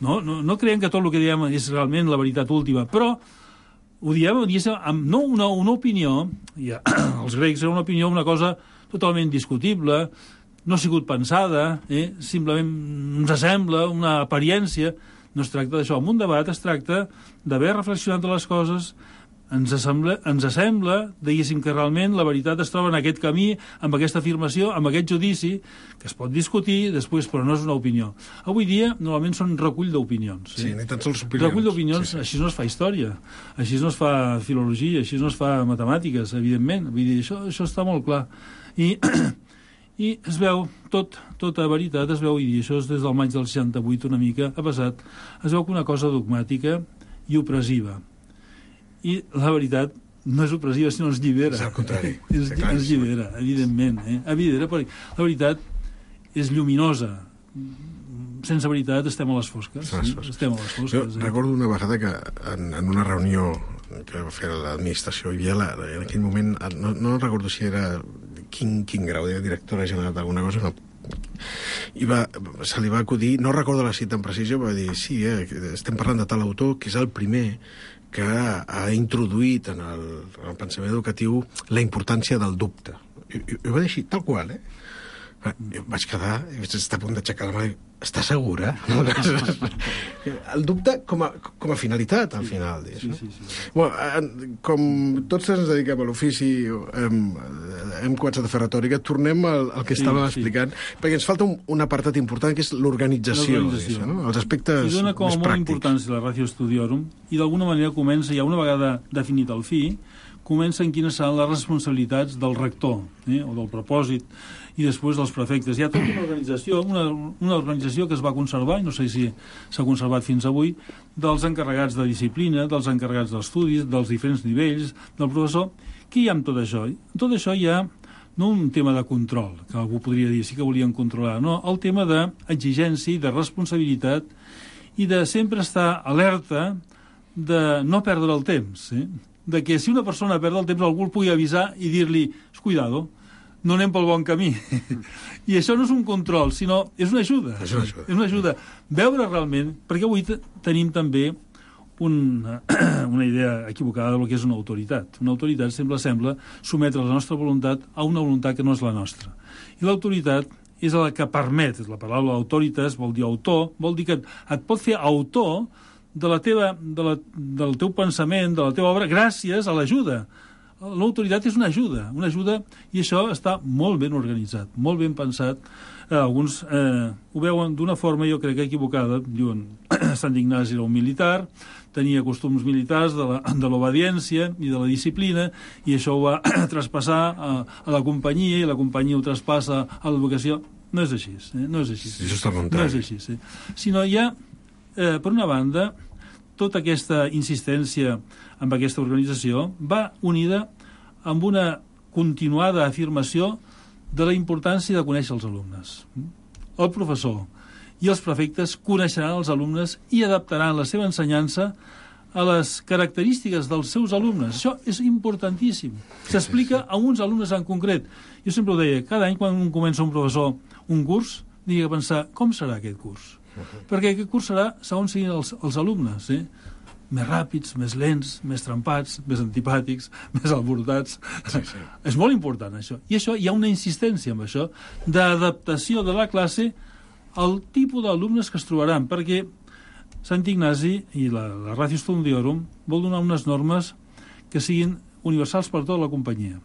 No, no, no creiem que tot el que diem és realment la veritat última, però ho diem amb no una, una opinió, ja, els grecs era una opinió, una cosa totalment discutible, no ha sigut pensada, eh? Simplement ens sembla una apariència. No es tracta d'això. En un debat es tracta d'haver reflexionat de les coses, ens sembla, ens sembla, diguéssim, que realment la veritat es troba en aquest camí, amb aquesta afirmació, amb aquest judici, que es pot discutir després, però no és una opinió. Avui dia, normalment, són recull d'opinions. Sí, sí, ni tan sols opinions. Recull d'opinions, sí, sí. Així no es fa història, així no es fa filologia, així no es fa matemàtiques, evidentment. Vull dir, això, això està molt clar. I... I es veu, tot, tota veritat es veu, i això és des del maig del seixanta-vuit una mica, ha passat, es veu que una cosa dogmàtica i opressiva. I la veritat no és opressiva, sinó ens llibera. És al contrari. ens, ens llibera, evidentment. Eh? Evidentment, perquè la veritat és lluminosa. Sense veritat estem a les fosques. Sí? Estem a les fosques. Jo eh? recordo una vegada que en, en una reunió que va fer l'administració, hi havia la, en aquell moment, no, no recordo si era quin, quin grau de directora general d'alguna cosa, no, i va, se li va acudir, no recordo la cita en precisió, va dir, sí, eh, estem parlant de tal autor que és el primer que ha introduït en el, en el pensament educatiu la importància del dubte. I, i, i va dir així, tal qual, eh? Jo vaig quedar, i vaig estar a punt d'aixecar la mà i està segura? El dubte com a, com a finalitat, al final. Sí, sí, sí, sí. Bueno, com tots ens dediquem a l'ofici, hem, hem començat a fer retòrica, tornem al, al que sí, estàvem sí. explicant, perquè ens falta un, un apartat important, que és l'organització, no? Els aspectes més pràctics. I dona com a molt importància la Ratio Studiorum, i d'alguna manera comença, ja una vegada definit el fi, comença en quines seran les responsabilitats del rector, eh, o del propòsit, i després dels prefectes. Hi ha tota una organització, una, una organització que es va conservar, i no sé si s'ha conservat fins avui, dels encarregats de disciplina, dels encarregats d'estudis, dels diferents nivells, del professor. Què hi ha amb tot això? En tot això hi ha no un tema de control, que algú podria dir sí que volien controlar, no, el tema d'exigència i de responsabilitat i de sempre estar alerta de no perdre el temps, eh? De que si una persona perd el temps algú el pugui avisar i dir-li, cuidado, no anem pel bon camí. I això no és un control, sinó és una ajuda. És una ajuda. És una ajuda. Veure realment, perquè avui tenim també una, una idea equivocada del que és una autoritat. Una autoritat sempre sembla sometre la nostra voluntat a una voluntat que no és la nostra. I l'autoritat és la que permet, la paraula autoritas vol dir autor, vol dir que et pot fer autor de la teva, de la, del teu pensament, de la teva obra, gràcies a l'ajuda. L'autoritat és una ajuda, una ajuda, i això està molt ben organitzat, molt ben pensat. Eh, alguns eh, ho veuen d'una forma, jo crec, equivocada. Diuen, Sant Ignasi era un militar, tenia costums militars de la, de l'obediència i de la disciplina, i això ho va traspassar a, a la companyia, i la companyia ho traspassa a l'educació. No és així, eh? No és així. Sí, això està contrari. No és així, sí. Sinó hi ha, eh, per una banda, tota aquesta insistència amb aquesta organització va unida amb una continuada afirmació de la importància de conèixer els alumnes. El professor i els prefectes coneixeran els alumnes i adaptaran la seva ensenyança a les característiques dels seus alumnes. Això és importantíssim. S'explica a uns alumnes en concret. Jo sempre ho deia, cada any quan comença un professor un curs, digui que pensar com serà aquest curs. Perquè aquest curs serà segons siguin els, els alumnes, eh? més ràpids, més lents, més trempats, més antipàtics, més alborotats. Sí, sí. És molt important, això. I això, hi ha una insistència amb això, d'adaptació de la classe al tipus d'alumnes que es trobaran, perquè Sant Ignasi i la, la Ratio Studiorum vol donar unes normes que siguin universals per tota la companyia.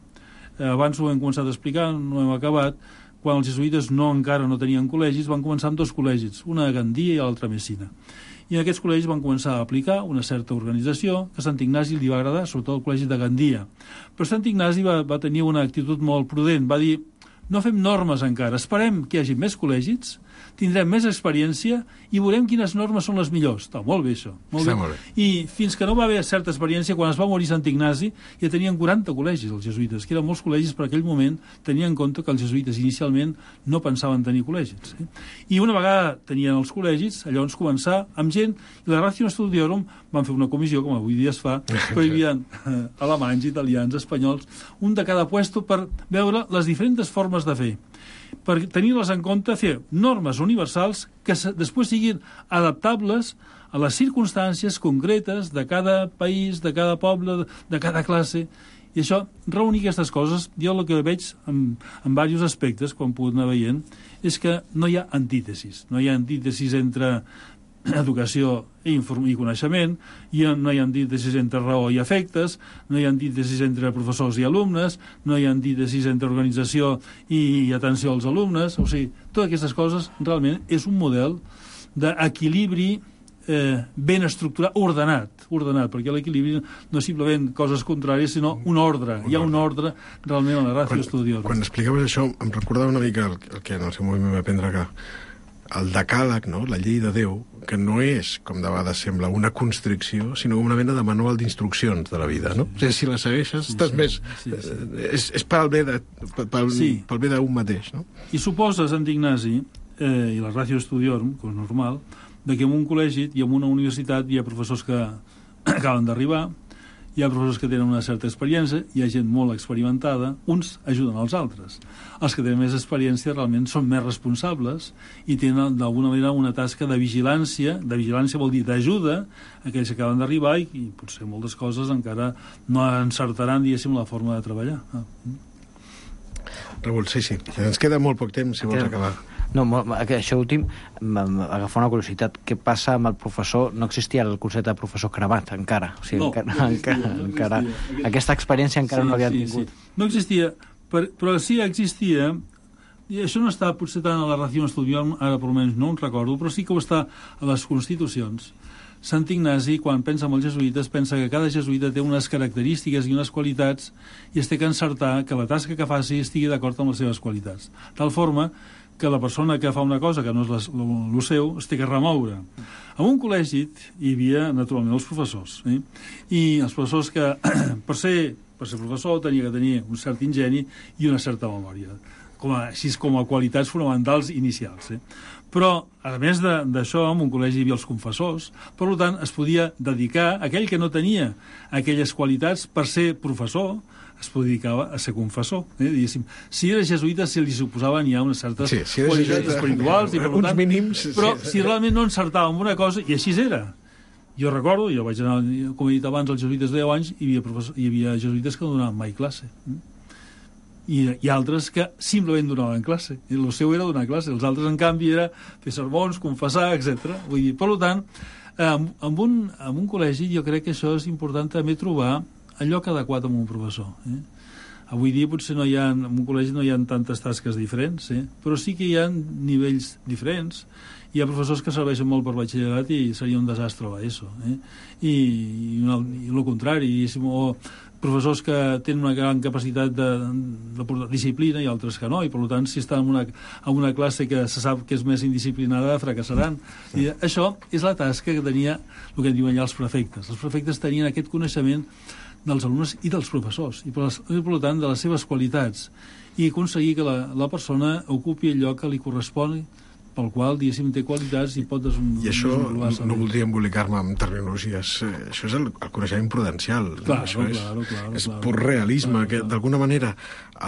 Eh, abans ho hem començat a explicar, no hem acabat. Quan els jesuïtes no, encara no tenien col·legis, van començar amb dos col·legis, una a Gandia i l'altra a Messina. I en aquests col·legis van començar a aplicar una certa organització que a Sant Ignasi li va agradar, sobretot el col·legi de Gandia. Però Sant Ignasi va, va tenir una actitud molt prudent, va dir, no fem normes encara, esperem que hi hagi més col·legis, tindrem més experiència i veurem quines normes són les millors. Està molt bé, això. Molt bé. Molt bé. I fins que no va haver certa experiència, quan es va morir Sant Ignasi, ja tenien quaranta col·legis, els jesuïtes, que eren molts col·legis per aquell moment, tenien en compte que els jesuïtes inicialment no pensaven tenir col·legis. Eh? I una vegada tenien els col·legis, llavors començar amb gent, i la Ratio Studiorum van fer una comissió, com avui dia es fa, però hi havia eh, alemanys, italians, espanyols, un de cada puesto per veure les diferents formes de fer, per tenir-les en compte, fer normes universals que després siguin adaptables a les circumstàncies concretes de cada país, de cada poble, de cada classe. I això, reunir aquestes coses, jo el que veig en, en diversos aspectes, quan puc anar veient, és que no hi ha antítesis. No hi ha antítesis entre educació i, i coneixement, i no hi ha antítesis entre raó i efectes, no hi ha antítesis entre professors i alumnes, no hi ha antítesis entre organització i, i atenció als alumnes. O sigui, totes aquestes coses realment és un model d'equilibri eh, ben estructurat, ordenat, ordenat, perquè l'equilibri no és simplement coses contràries, sinó un ordre. Un Hi ha un ordre realment a la Ratio Studiorum. Quan explicaves això, em recordava una mica el, el que en el seu moment va aprendre que el decàleg, no? La llei de Déu, que no és, com de vegades sembla, una constricció, sinó una mena de manual d'instruccions de la vida, no? O sigui, si la segueixes, estàs sí, més... Sí, sí. Eh, és, és pel bé de, pel, sí. pel bé d'un mateix, no? I suposa, Sant Ignasi, eh, i la Ratio Studiorum, com és normal, de que en un col·legi i en una universitat hi ha professors que acaben d'arribar, hi ha professors que tenen una certa experiència, hi ha gent molt experimentada, uns ajuden als altres. Els que tenen més experiència realment són més responsables i tenen d'alguna manera una tasca de vigilància, de vigilància vol dir d'ajuda a aquells que acaben d'arribar i, i potser moltes coses encara no encertaran, diguéssim, la forma de treballar. Ah. Raül, sí, sí. Ens queda molt poc temps, si vols acabar. No, això últim, agafar una curiositat. Què passa amb el professor? No existia el concepte de professor cremat, encara. O sigui, no, encara, no existia, encara, no encara, existia. Aquesta experiència encara sí, no l'havien sí, tingut. Sí. No existia, per, però sí existia, i això no està potser tant a la Ratio Studiorum, ara per almenys no ho recordo, però sí que ho està a les constitucions. Sant Ignasi, quan pensa en els jesuïtes, pensa que cada jesuïta té unes característiques i unes qualitats i es té que encertar que la tasca que faci estigui d'acord amb les seves qualitats. Tal forma que la persona que fa una cosa que no és el seu es té que remoure. En un col·legi hi havia, naturalment, els professors. Eh? I els professors que, per ser, per ser professor, tenia que tenir un cert ingeni i una certa memòria, com a, així com a qualitats fonamentals inicials. Eh? Però, a més d'això, en un col·legi hi havia els confessors, per tant, es podia dedicar, aquell que no tenia aquelles qualitats per ser professor, es dedicava a ser confessor. Eh? Si era jesuïta, si li suposaven ja unes certes sí, si qualitats espirituals, i per uns tant, mínims, però sí. si realment no encertava en una cosa, i així era. Jo recordo, jo vaig anar, com he dit abans, als jesuïtes de deu anys, hi havia, professor, hi havia jesuïtes que no donaven mai classe. I, i altres que simplement donaven classe. I el seu era donar classe. Els altres, en canvi, era fer sermons, confessar, etcètera. Vull dir, per tant, en, en, un, en un col·legi jo crec que això és important també trobar el lloc adequat amb un professor. Eh? Avui dia potser no hi ha, en un col·legi no hi ha tantes tasques diferents, eh? però sí que hi ha nivells diferents. Hi ha professors que serveixen molt per batxillerat i seria un desastre a l'ESO. Eh? I, i, una, i el contrari, o professors que tenen una gran capacitat de, de, de disciplina i altres que no, i per tant si estan en una, en una classe que se sap que és més indisciplinada fracassaran. I això és la tasca que tenia el que en diuen ja els prefectes. Els prefectes tenien aquest coneixement dels alumnes i dels professors, i per, les, per tant de les seves qualitats, i aconseguir que la, la persona ocupi el lloc que li correspon, pel qual, diguéssim, té qualitats i pot desenvolupar. I això, no, no voldria embolicar-me amb terminologies, eh, això és el, el coneixement prudencial. Claro, això és, claro, claro, és claro, pur realisme, claro, que claro. d'alguna manera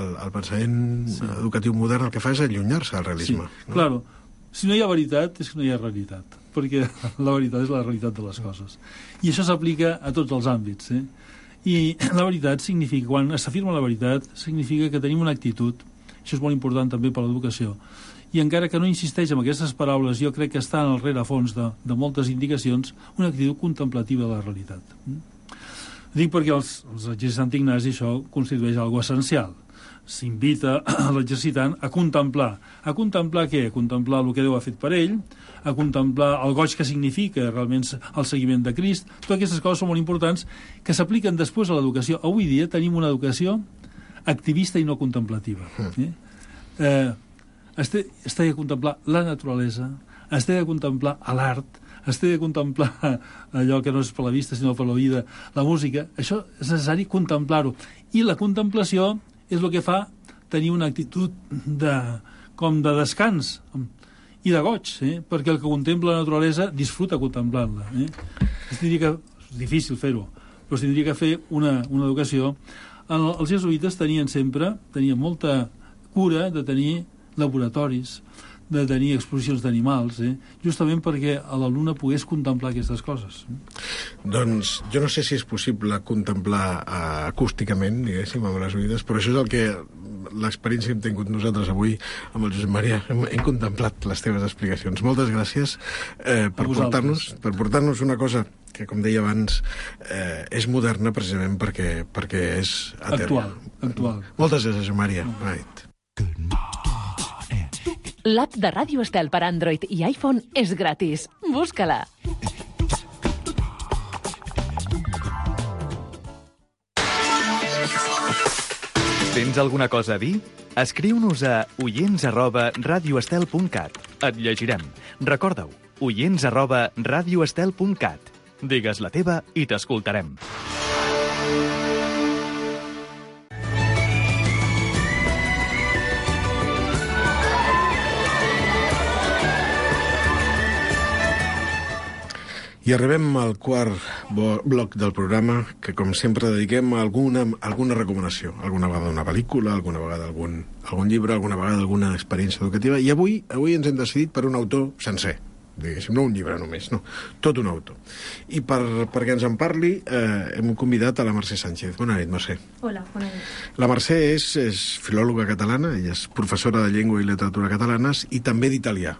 el, el pensament sí. educatiu modern el que fa és allunyar-se del realisme. Sí, no? Claro. Si no hi ha veritat, és que no hi ha realitat. perquè la veritat és la realitat de les coses. I això s'aplica a tots els àmbits. Eh? I la veritat significa, quan s'afirma la veritat, significa que tenim una actitud, això és molt important també per l'educació, i encara que no insisteix en aquestes paraules, jo crec que està en el rerefons de, de moltes indicacions una actitud contemplativa de la realitat. Dic perquè els, els exercicis de Sant Ignasi això constitueix algo essencial. S'invita a l'exercitant a contemplar. A contemplar què? A contemplar el que Déu ha fet per ell, a contemplar el goig que significa realment el seguiment de Crist. Totes aquestes coses són molt importants que s'apliquen després a l'educació. Avui dia tenim una educació activista i no contemplativa. Eh? Eh, es té, es té de contemplar la naturalesa, es té de contemplar l'art, es té de contemplar allò que no és per la vista sinó per la vida, la música. Això és necessari contemplar-ho. I la contemplació és el que fa tenir una actitud de, com de descans i de goig, eh? Perquè el que contempla la naturalesa disfruta contemplant-la. Eh? Es diria que és difícil fer-ho, però es tindria que fer una, una educació. El, els jesuïtes tenien sempre, tenien molta cura de tenir laboratoris, de tenir exposicions d'animals, eh? Justament perquè l'alumne pogués contemplar aquestes coses. Doncs jo no sé si és possible contemplar uh, acústicament, diguéssim, amb les oïdes, però això és el que l'experiència que hem tingut nosaltres avui amb el Josep Maria. Hem, hem contemplat les teves explicacions. Moltes gràcies eh, per portar-nos per portar-nos una cosa que, com deia abans, eh, és moderna precisament perquè, perquè és actual, actual. Moltes gràcies, Josep Maria. Right. L'app de Ràdio Estel per Android i iPhone és gratis. Busca-la. Tens alguna cosa a dir? Escriu-nos a oients arroba radioestel punt cat. Et llegirem. Recorda-ho, oients arroba radioestel punt cat. Digues la teva i t'escoltarem. I arribem al quart bloc del programa, que com sempre dediquem a alguna, alguna recomanació. Alguna vegada una pel·lícula, alguna vegada algun, algun llibre, alguna vegada alguna experiència educativa. I avui avui ens hem decidit per un autor sencer, diguéssim, no un llibre només, no, tot un autor. I per, perquè ens en parli eh, hem convidat a la Mercè Sánchez. Bona nit, Mercè. Hola, bona nit. La Mercè és, és filòloga catalana, ella és professora de llengua i literatura catalanes i també d'italià.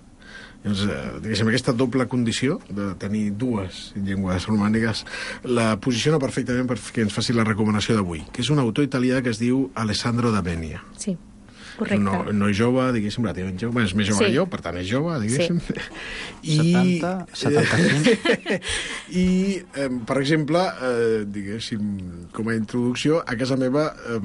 Doncs, eh, diguéssim, aquesta doble condició de tenir dues llengües romàniques la posiciona perfectament perquè ens faci la recomanació d'avui, que és un autor italià que es diu Alessandro d'Avenia. Sí, correcte. No, no és jove, diguéssim, relativament jove, és més jove sí. que jo, per tant és jove, diguéssim. Sí. I, setanta, setanta-cinc. I, eh, per exemple, eh, diguéssim, com a introducció, a casa meva eh,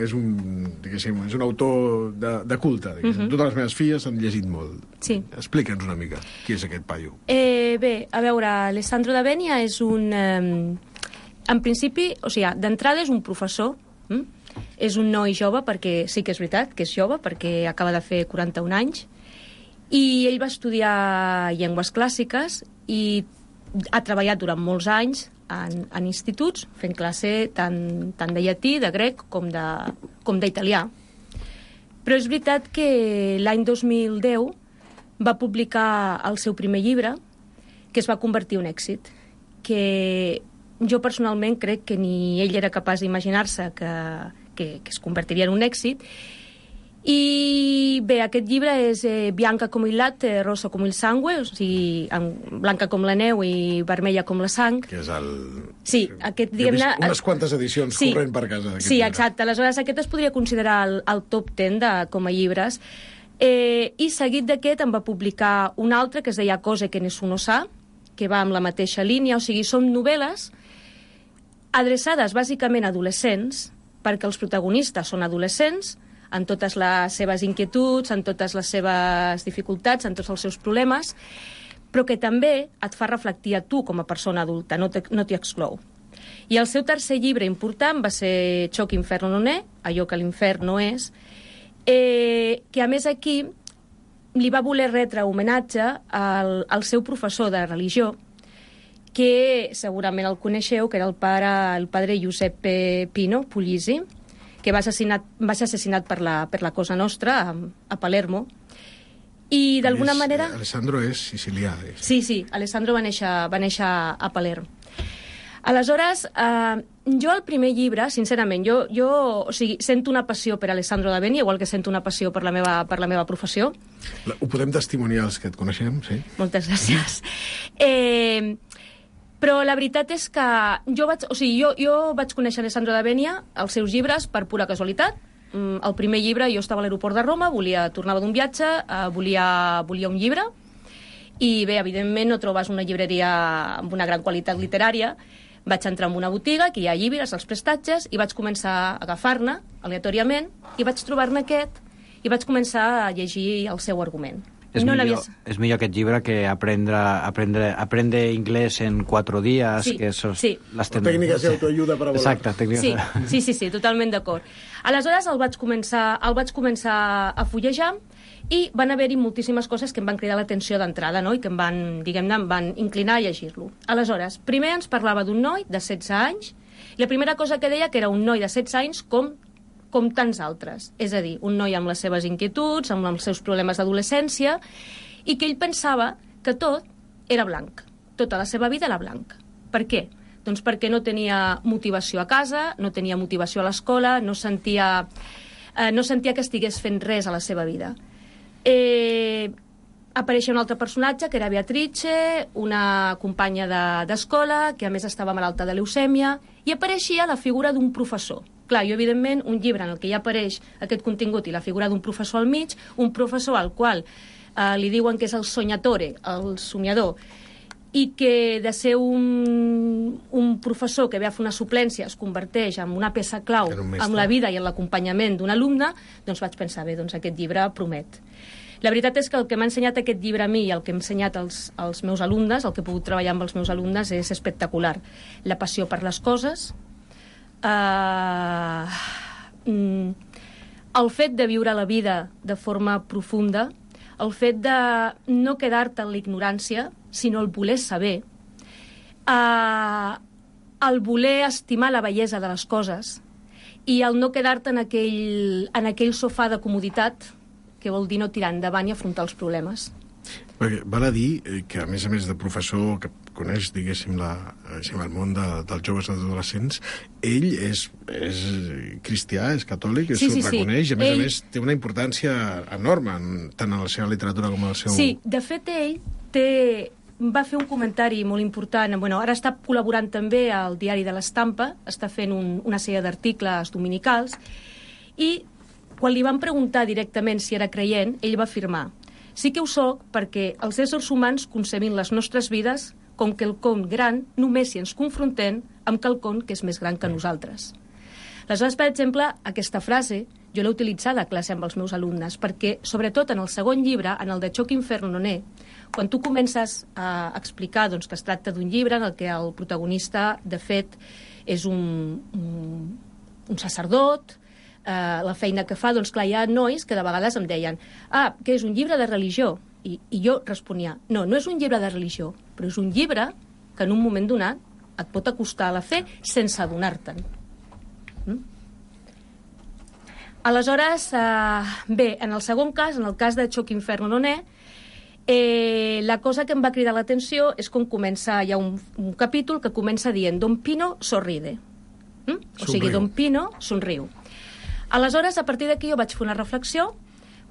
és un, diguéssim, és un autor de, de culte, diguéssim. Uh-huh. Totes les meves filles han llegit molt. Sí. Explica'ns una mica qui és aquest paio. Eh, bé, a veure, Alessandro d'Avenia és un... Eh, en principi, o sigui, d'entrada és un professor, hm? És un noi jove, perquè sí que és veritat que és jove, perquè acaba de fer quaranta-un anys, i ell va estudiar llengües clàssiques i ha treballat durant molts anys en, en instituts, fent classe tant, tant de llatí, de grec, com de, com d'italià. Però és veritat que l'any dos mil deu va publicar el seu primer llibre, que es va convertir en un èxit, que jo personalment crec que ni ell era capaç d'imaginar-se que, que, que es convertiria en un èxit. I bé, aquest llibre és eh, Bianca com il latte, rosa com il sangue, o sigui, blanca com la neu i vermella com la sang. Que és el... Sí, aquest, diguem-ne... unes quantes edicions sí, corrent per casa. Sí, llibre. Exacte. Aleshores, aquest es podria considerar el, el top ten de, com a llibres. Eh, I seguit d'aquest em va publicar un altre que es deia Cose che nessuno sa, que va amb la mateixa línia, o sigui, són novel·les adreçades bàsicament a adolescents, perquè els protagonistes són adolescents, en totes les seves inquietuds, en totes les seves dificultats, en tots els seus problemes, però que també et fa reflectir a tu com a persona adulta, no t'hi exclou. I el seu tercer llibre important va ser Ciò che inferno non è, allò que l'infern no és, eh, que a més aquí li va voler retre homenatge al, al seu professor de religió, que segurament el coneixeu, que era el pare, el padre Giuseppe Pino Puglisi, que va, assassinat, va ser assassinat per la, per la Cosa Nostra a, a Palermo. I d'alguna És, manera... Alessandro és sicilià. És. Sí, sí, Alessandro va néixer, va néixer a Palerm. Aleshores, eh, jo el primer llibre, sincerament, jo, jo o sigui, sento una passió per Alessandro d'Aveni, igual que sento una passió per la meva, per la meva professió. La, ho podem testimoniar els que et coneixem, sí? Moltes gràcies. Eh, però la veritat és que jo vaig, o sigui, jo, jo vaig conèixer Alessandro d'Avenia, els seus llibres, per pura casualitat. El primer llibre, jo estava a l'aeroport de Roma, volia, tornava d'un viatge, eh, volia, volia un llibre, i bé, evidentment no trobes una llibreria amb una gran qualitat literària. Vaig entrar en una botiga, que hi ha llibres, els prestatges, i vaig començar a agafar-ne, aleatòriament, i vaig trobar-ne aquest, i vaig començar a llegir el seu argument. És, no millor, és millor aquest llibre que aprendre, aprendre, aprendre inglès en quatre dies. Sí, que sos sí. Les ten... Tècniques d'autoajuda per a volar. Exacte, tècniques. Sí, sí, sí, sí, totalment d'acord. Aleshores el vaig començar, el vaig començar a fullejar i van haver-hi moltíssimes coses que em van cridar l'atenció d'entrada, no? I que em van, diguem-ne, em van inclinar a llegir-lo. Aleshores, primer ens parlava d'un noi de setze anys, i la primera cosa que deia que era un noi de setze anys com com tants altres. És a dir, un noi amb les seves inquietuds, amb els seus problemes d'adolescència, i que ell pensava que tot era blanc. Tota la seva vida era blanc. Per què? Doncs perquè no tenia motivació a casa, no tenia motivació a l'escola, no sentia, eh, no sentia que estigués fent res a la seva vida. Eh, apareixia un altre personatge, que era Beatrice, una companya d'escola, de, que a més estava malalta de leucèmia, i apareixia la figura d'un professor. Clar, jo, evidentment, un llibre en el que ja apareix aquest contingut i la figura d'un professor al mig, un professor al qual eh, li diuen que és el soñatore, el somiador, i que de ser un, un professor que ve a fer una suplència es converteix en una peça clau en la vida i en l'acompanyament d'un alumne, doncs vaig pensar, bé, doncs aquest llibre promet. La veritat és que el que m'ha ensenyat aquest llibre a mi i el que hem ensenyat als, als meus alumnes, el que he pogut treballar amb els meus alumnes, és espectacular. La passió per les coses, Uh, mm, el fet de viure la vida de forma profunda, el fet de no quedar-te en l'ignorància, sinó el voler saber, uh, el voler estimar la bellesa de les coses i el no quedar-te en aquell, en aquell sofà de comoditat, que vol dir no tirar endavant i afrontar els problemes. Perquè val a dir que, a més a més de professor que coneix, diguéssim, la, el món de, dels joves i adolescents, ell és, és cristià, és catòlic, sí, s'ho sí, reconeix, sí. i a més ell... a més té una importància enorme, tant en la seva literatura com en el seu... Sí, de fet ell té... va fer un comentari molt important. Bueno, ara està col·laborant també al Diari de l'Estampa, està fent un, una sèrie d'articles dominicals, i quan li van preguntar directament si era creient, ell va afirmar: sí que ho soc perquè els éssers humans concebin les nostres vides com quelcom gran només si ens confrontem amb quelcom que és més gran que nosaltres. Aleshores, per exemple, aquesta frase jo l'he utilitzada a classe amb els meus alumnes perquè, sobretot en el segon llibre, en el de Choc Inferno Non è, quan tu comences a explicar doncs, que es tracta d'un llibre en el que el protagonista, de fet, és un, un, un sacerdot, Uh, la feina que fa, doncs clar, hi ha nois que de vegades em deien: ah, que és un llibre de religió, i, i jo responia: no, no és un llibre de religió, però és un llibre que en un moment donat et pot acostar a la fe sense adonar-te'n. Mm? Aleshores, uh, bé, en el segon cas, en el cas de Choc Inferno Non è, eh, la cosa que em va cridar l'atenció és com comença, hi ha un, un capítol que comença dient: Don Pino sorride. Mm? O sigui, Don Pino somriu. Aleshores, a partir d'aquí jo vaig fer una reflexió,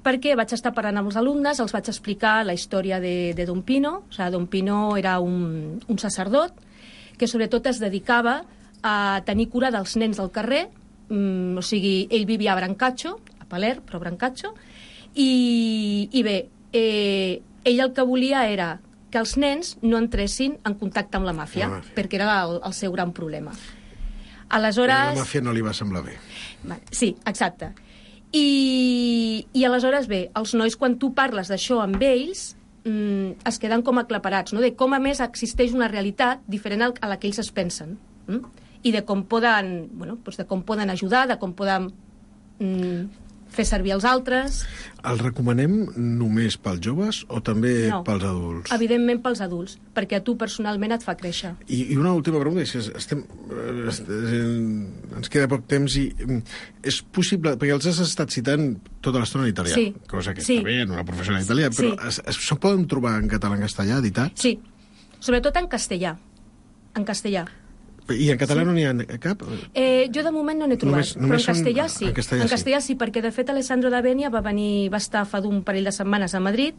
perquè vaig estar parlant amb els alumnes, els vaig explicar la història de, de Don Pino. O sigui, Don Pino era un, un sacerdot que sobretot es dedicava a tenir cura dels nens del carrer, mm, o sigui, ell vivia a Brancaccio, a Palerm, però a Brancaccio, i, i bé, eh, ell el que volia era que els nens no entressin en contacte amb la màfia, la màfia. perquè era el, el seu gran problema. Aleshores... La màfia no li va semblar bé. Sí, exacte. I, i aleshores, bé, els nois, quan tu parles d'això amb ells, mm, es queden com aclaparats, no? De com, a més, existeix una realitat diferent a la que ells es pensen. Mm? I de com poden, bueno, doncs de com poden ajudar, de com poden mm, fer servir els altres. El recomanem només pels joves o també No. pels adults? Evidentment pels adults, perquè a tu personalment et fa créixer. I, i una última pregunta, és que estem, eh, est- eh, ens queda poc temps i mm, és possible, perquè els has estat citant tota l'estona en italià, Sí. cosa que Sí. està bé en una professional italià, però Sí. es, es, se poden trobar en català, en castellà, editats? Sí, sobretot en castellà. En castellà. I en català Sí. no n'hi ha cap? Eh, jo de moment no n'he trobat, Només- només però en són- castellà sí. en castellà en sí. castellà sí, perquè de fet Alessandro D'Avenia va venir, va estar fa d'un parell de setmanes a Madrid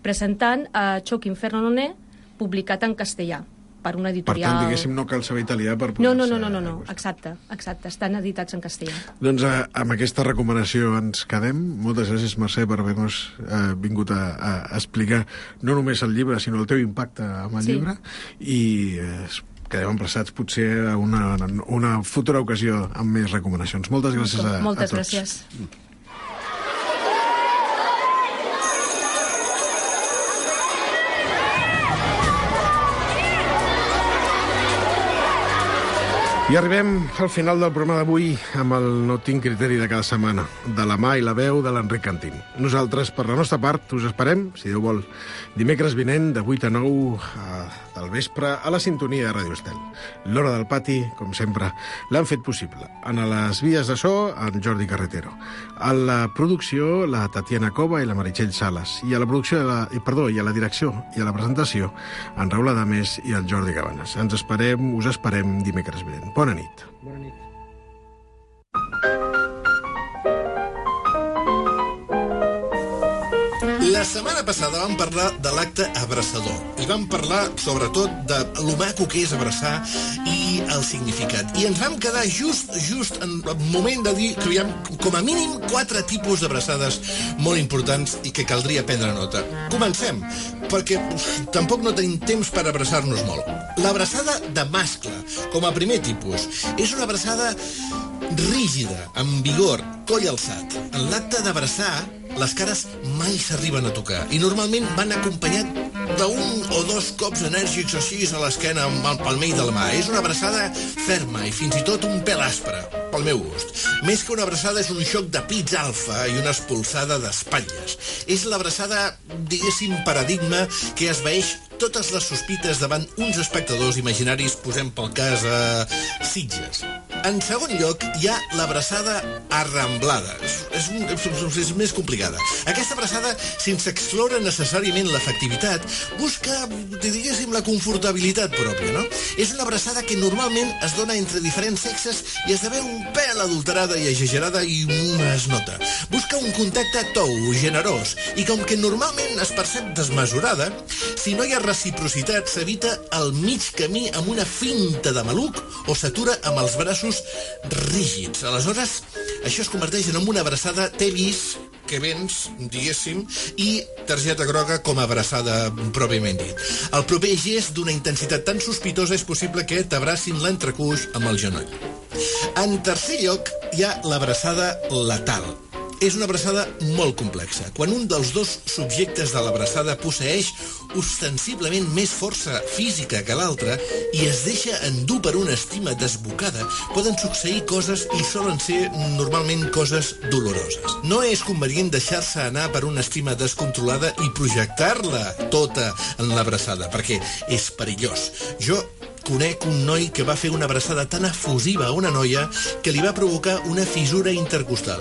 presentant a Choc Inferno Non è, publicat en castellà per una Per editorial. tant, diguéssim, no cal saber italià per poder... No, no, no, no, no, no, exacte, exacte, estan editats en castellà. Doncs eh, amb aquesta recomanació ens quedem. Moltes gràcies, Mercè, per haver-nos eh, vingut a, a explicar no només el llibre, sinó el teu impacte amb el Sí. llibre. I eh, quedem emplaçats potser a una, una futura ocasió amb més recomanacions. Moltes gràcies a, Moltes a tots. gràcies. I arribem al final del programa d'avui amb el No tinc criteri de cada setmana, de la mà i la veu de l'Enric Cantín. Nosaltres, per la nostra part, us esperem, si Déu vol, dimecres vinent de vuit a nou a, del vespre a la sintonia de Ràdio Estel. L'Hora del Pati, com sempre, l'han fet possible. En les vies de so, en Jordi Carretero. A la producció, la Tatiana Cova i la Meritxell Sales. I a la producció, de la, i, perdó, i a la direcció i a la presentació, en Raül Adames i el Jordi Cabanes. Ens esperem, us esperem dimecres vinent. Bona nit. Bona nit. La setmana passada vam parlar de l'acte abraçador i vam parlar sobretot de lo maco que és abraçar i el significat. I ens vam quedar just just en el moment de dir que hi ha com a mínim quatre tipus d'abraçades molt importants i que caldria prendre nota. Comencem, perquè uf, tampoc no tenim temps per abraçar-nos molt. L'abraçada de mascle, com a primer tipus, és una abraçada rígida, amb vigor, coll alçat. En l'acte d'abraçar, les cares mai s'arriben a tocar i normalment van acompanyat d'un o dos cops enèrgics així a l'esquena amb el palmell de la mà. És una abraçada ferma i fins i tot un pèl aspre, pel meu gust. Més que una abraçada és un xoc de pits alfa i una espolsada d'espatlles. És l'abraçada, diguéssim, paradigma que esvaeix totes les sospites davant uns espectadors imaginaris, posem pel cas a Sitges. En segon lloc, hi ha l'abraçada arramblada. És, és, un, és, és més complicada. Aquesta abraçada, sense excloure necessàriament l'efectivitat, busca, diguéssim, la confortabilitat pròpia, no? És una abraçada que normalment es dona entre diferents sexes i esdevé un pèl adulterada i exagerada i es nota. Busca un contacte tou, generós, i com que normalment es percep desmesurada, si no hi ha reciprocitat, s'evita el mig camí amb una finta de maluc o s'atura amb els braços rígids. Aleshores, això es converteix en una abraçada t'he vist, que vens, diguéssim, i targeta groga com a abraçada pròpiament dit. El proper gest d'una intensitat tan sospitosa és possible que t'abracin l'entrecuix amb el genoll. En tercer lloc, hi ha l'abraçada letal. És una abraçada molt complexa. Quan un dels dos subjectes de l'abraçada posseeix ostensiblement més força física que l'altre i es deixa endur per una estima desbocada, poden succeir coses i solen ser normalment coses doloroses. No és convenient deixar-se anar per una estima descontrolada i projectar-la tota en l'abraçada, perquè és perillós. Jo conec un noi que va fer una abraçada tan efusiva a una noia que li va provocar una fissura intercostal.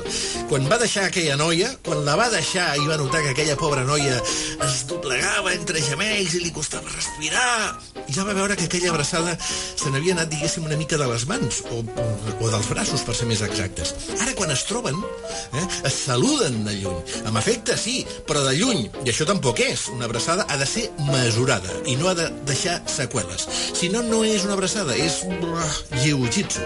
Quan va deixar aquella noia, quan la va deixar i va notar que aquella pobra noia es doblegava entre gemells i li costava respirar, i ja va veure que aquella abraçada se n'havia anat, diguéssim, una mica de les mans, o, o dels braços, per ser més exactes. Ara, quan es troben, eh, es saluden de lluny. Amb afecte, sí, però de lluny. I això tampoc és. Una abraçada ha de ser mesurada i no ha de deixar seqüeles. Si no, no és una abraçada, és jiu-jitsu,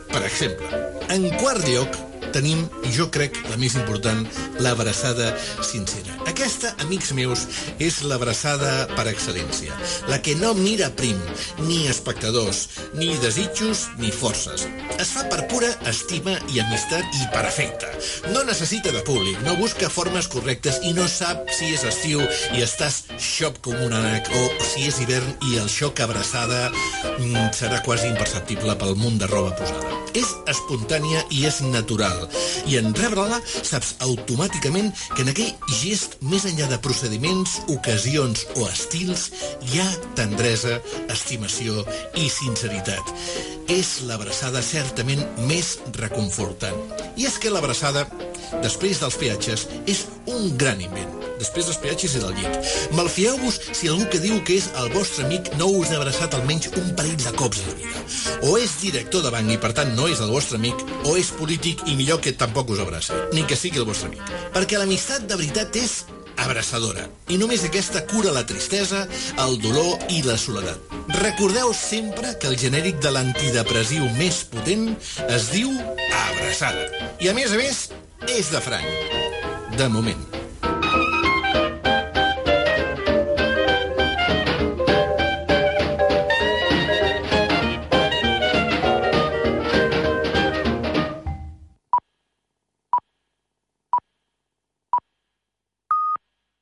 per exemple. En quart lloc, tenim, jo crec, la més important, l'abraçada sincera. Aquesta, amics meus, és l'abraçada per excel·lència. La que no mira prim, ni espectadors, ni desitjos, ni forces. Es fa per pura estima i amistat i per afecte. No necessita de públic, no busca formes correctes i no sap si és estiu i estàs xop com un ànec o si és hivern i el xoc abraçada mm, serà quasi imperceptible pel munt de roba posada. És espontània i és natural. Estel. I en rebre-la saps automàticament que en aquell gest, més enllà de procediments, ocasions o estils, hi ha tendresa, estimació i sinceritat. És l'abraçada certament més reconfortant. I és que l'abraçada, després dels peatges, és un gran invent. Després dels peatges i del llit. Malfieu-vos si algú que diu que és el vostre amic no us ha abraçat almenys un parell de cops a la vida. O és director de banc i per tant no és el vostre amic, o és polític i millor que tampoc us abraci, ni que sigui el vostre amic. Perquè l'amistat de veritat és abraçadora. I només aquesta cura la tristesa, el dolor i la soledat. Recordeu sempre que el genèric de l'antidepressiu més potent es diu abraçada. I a més a més, és de franc. De moment.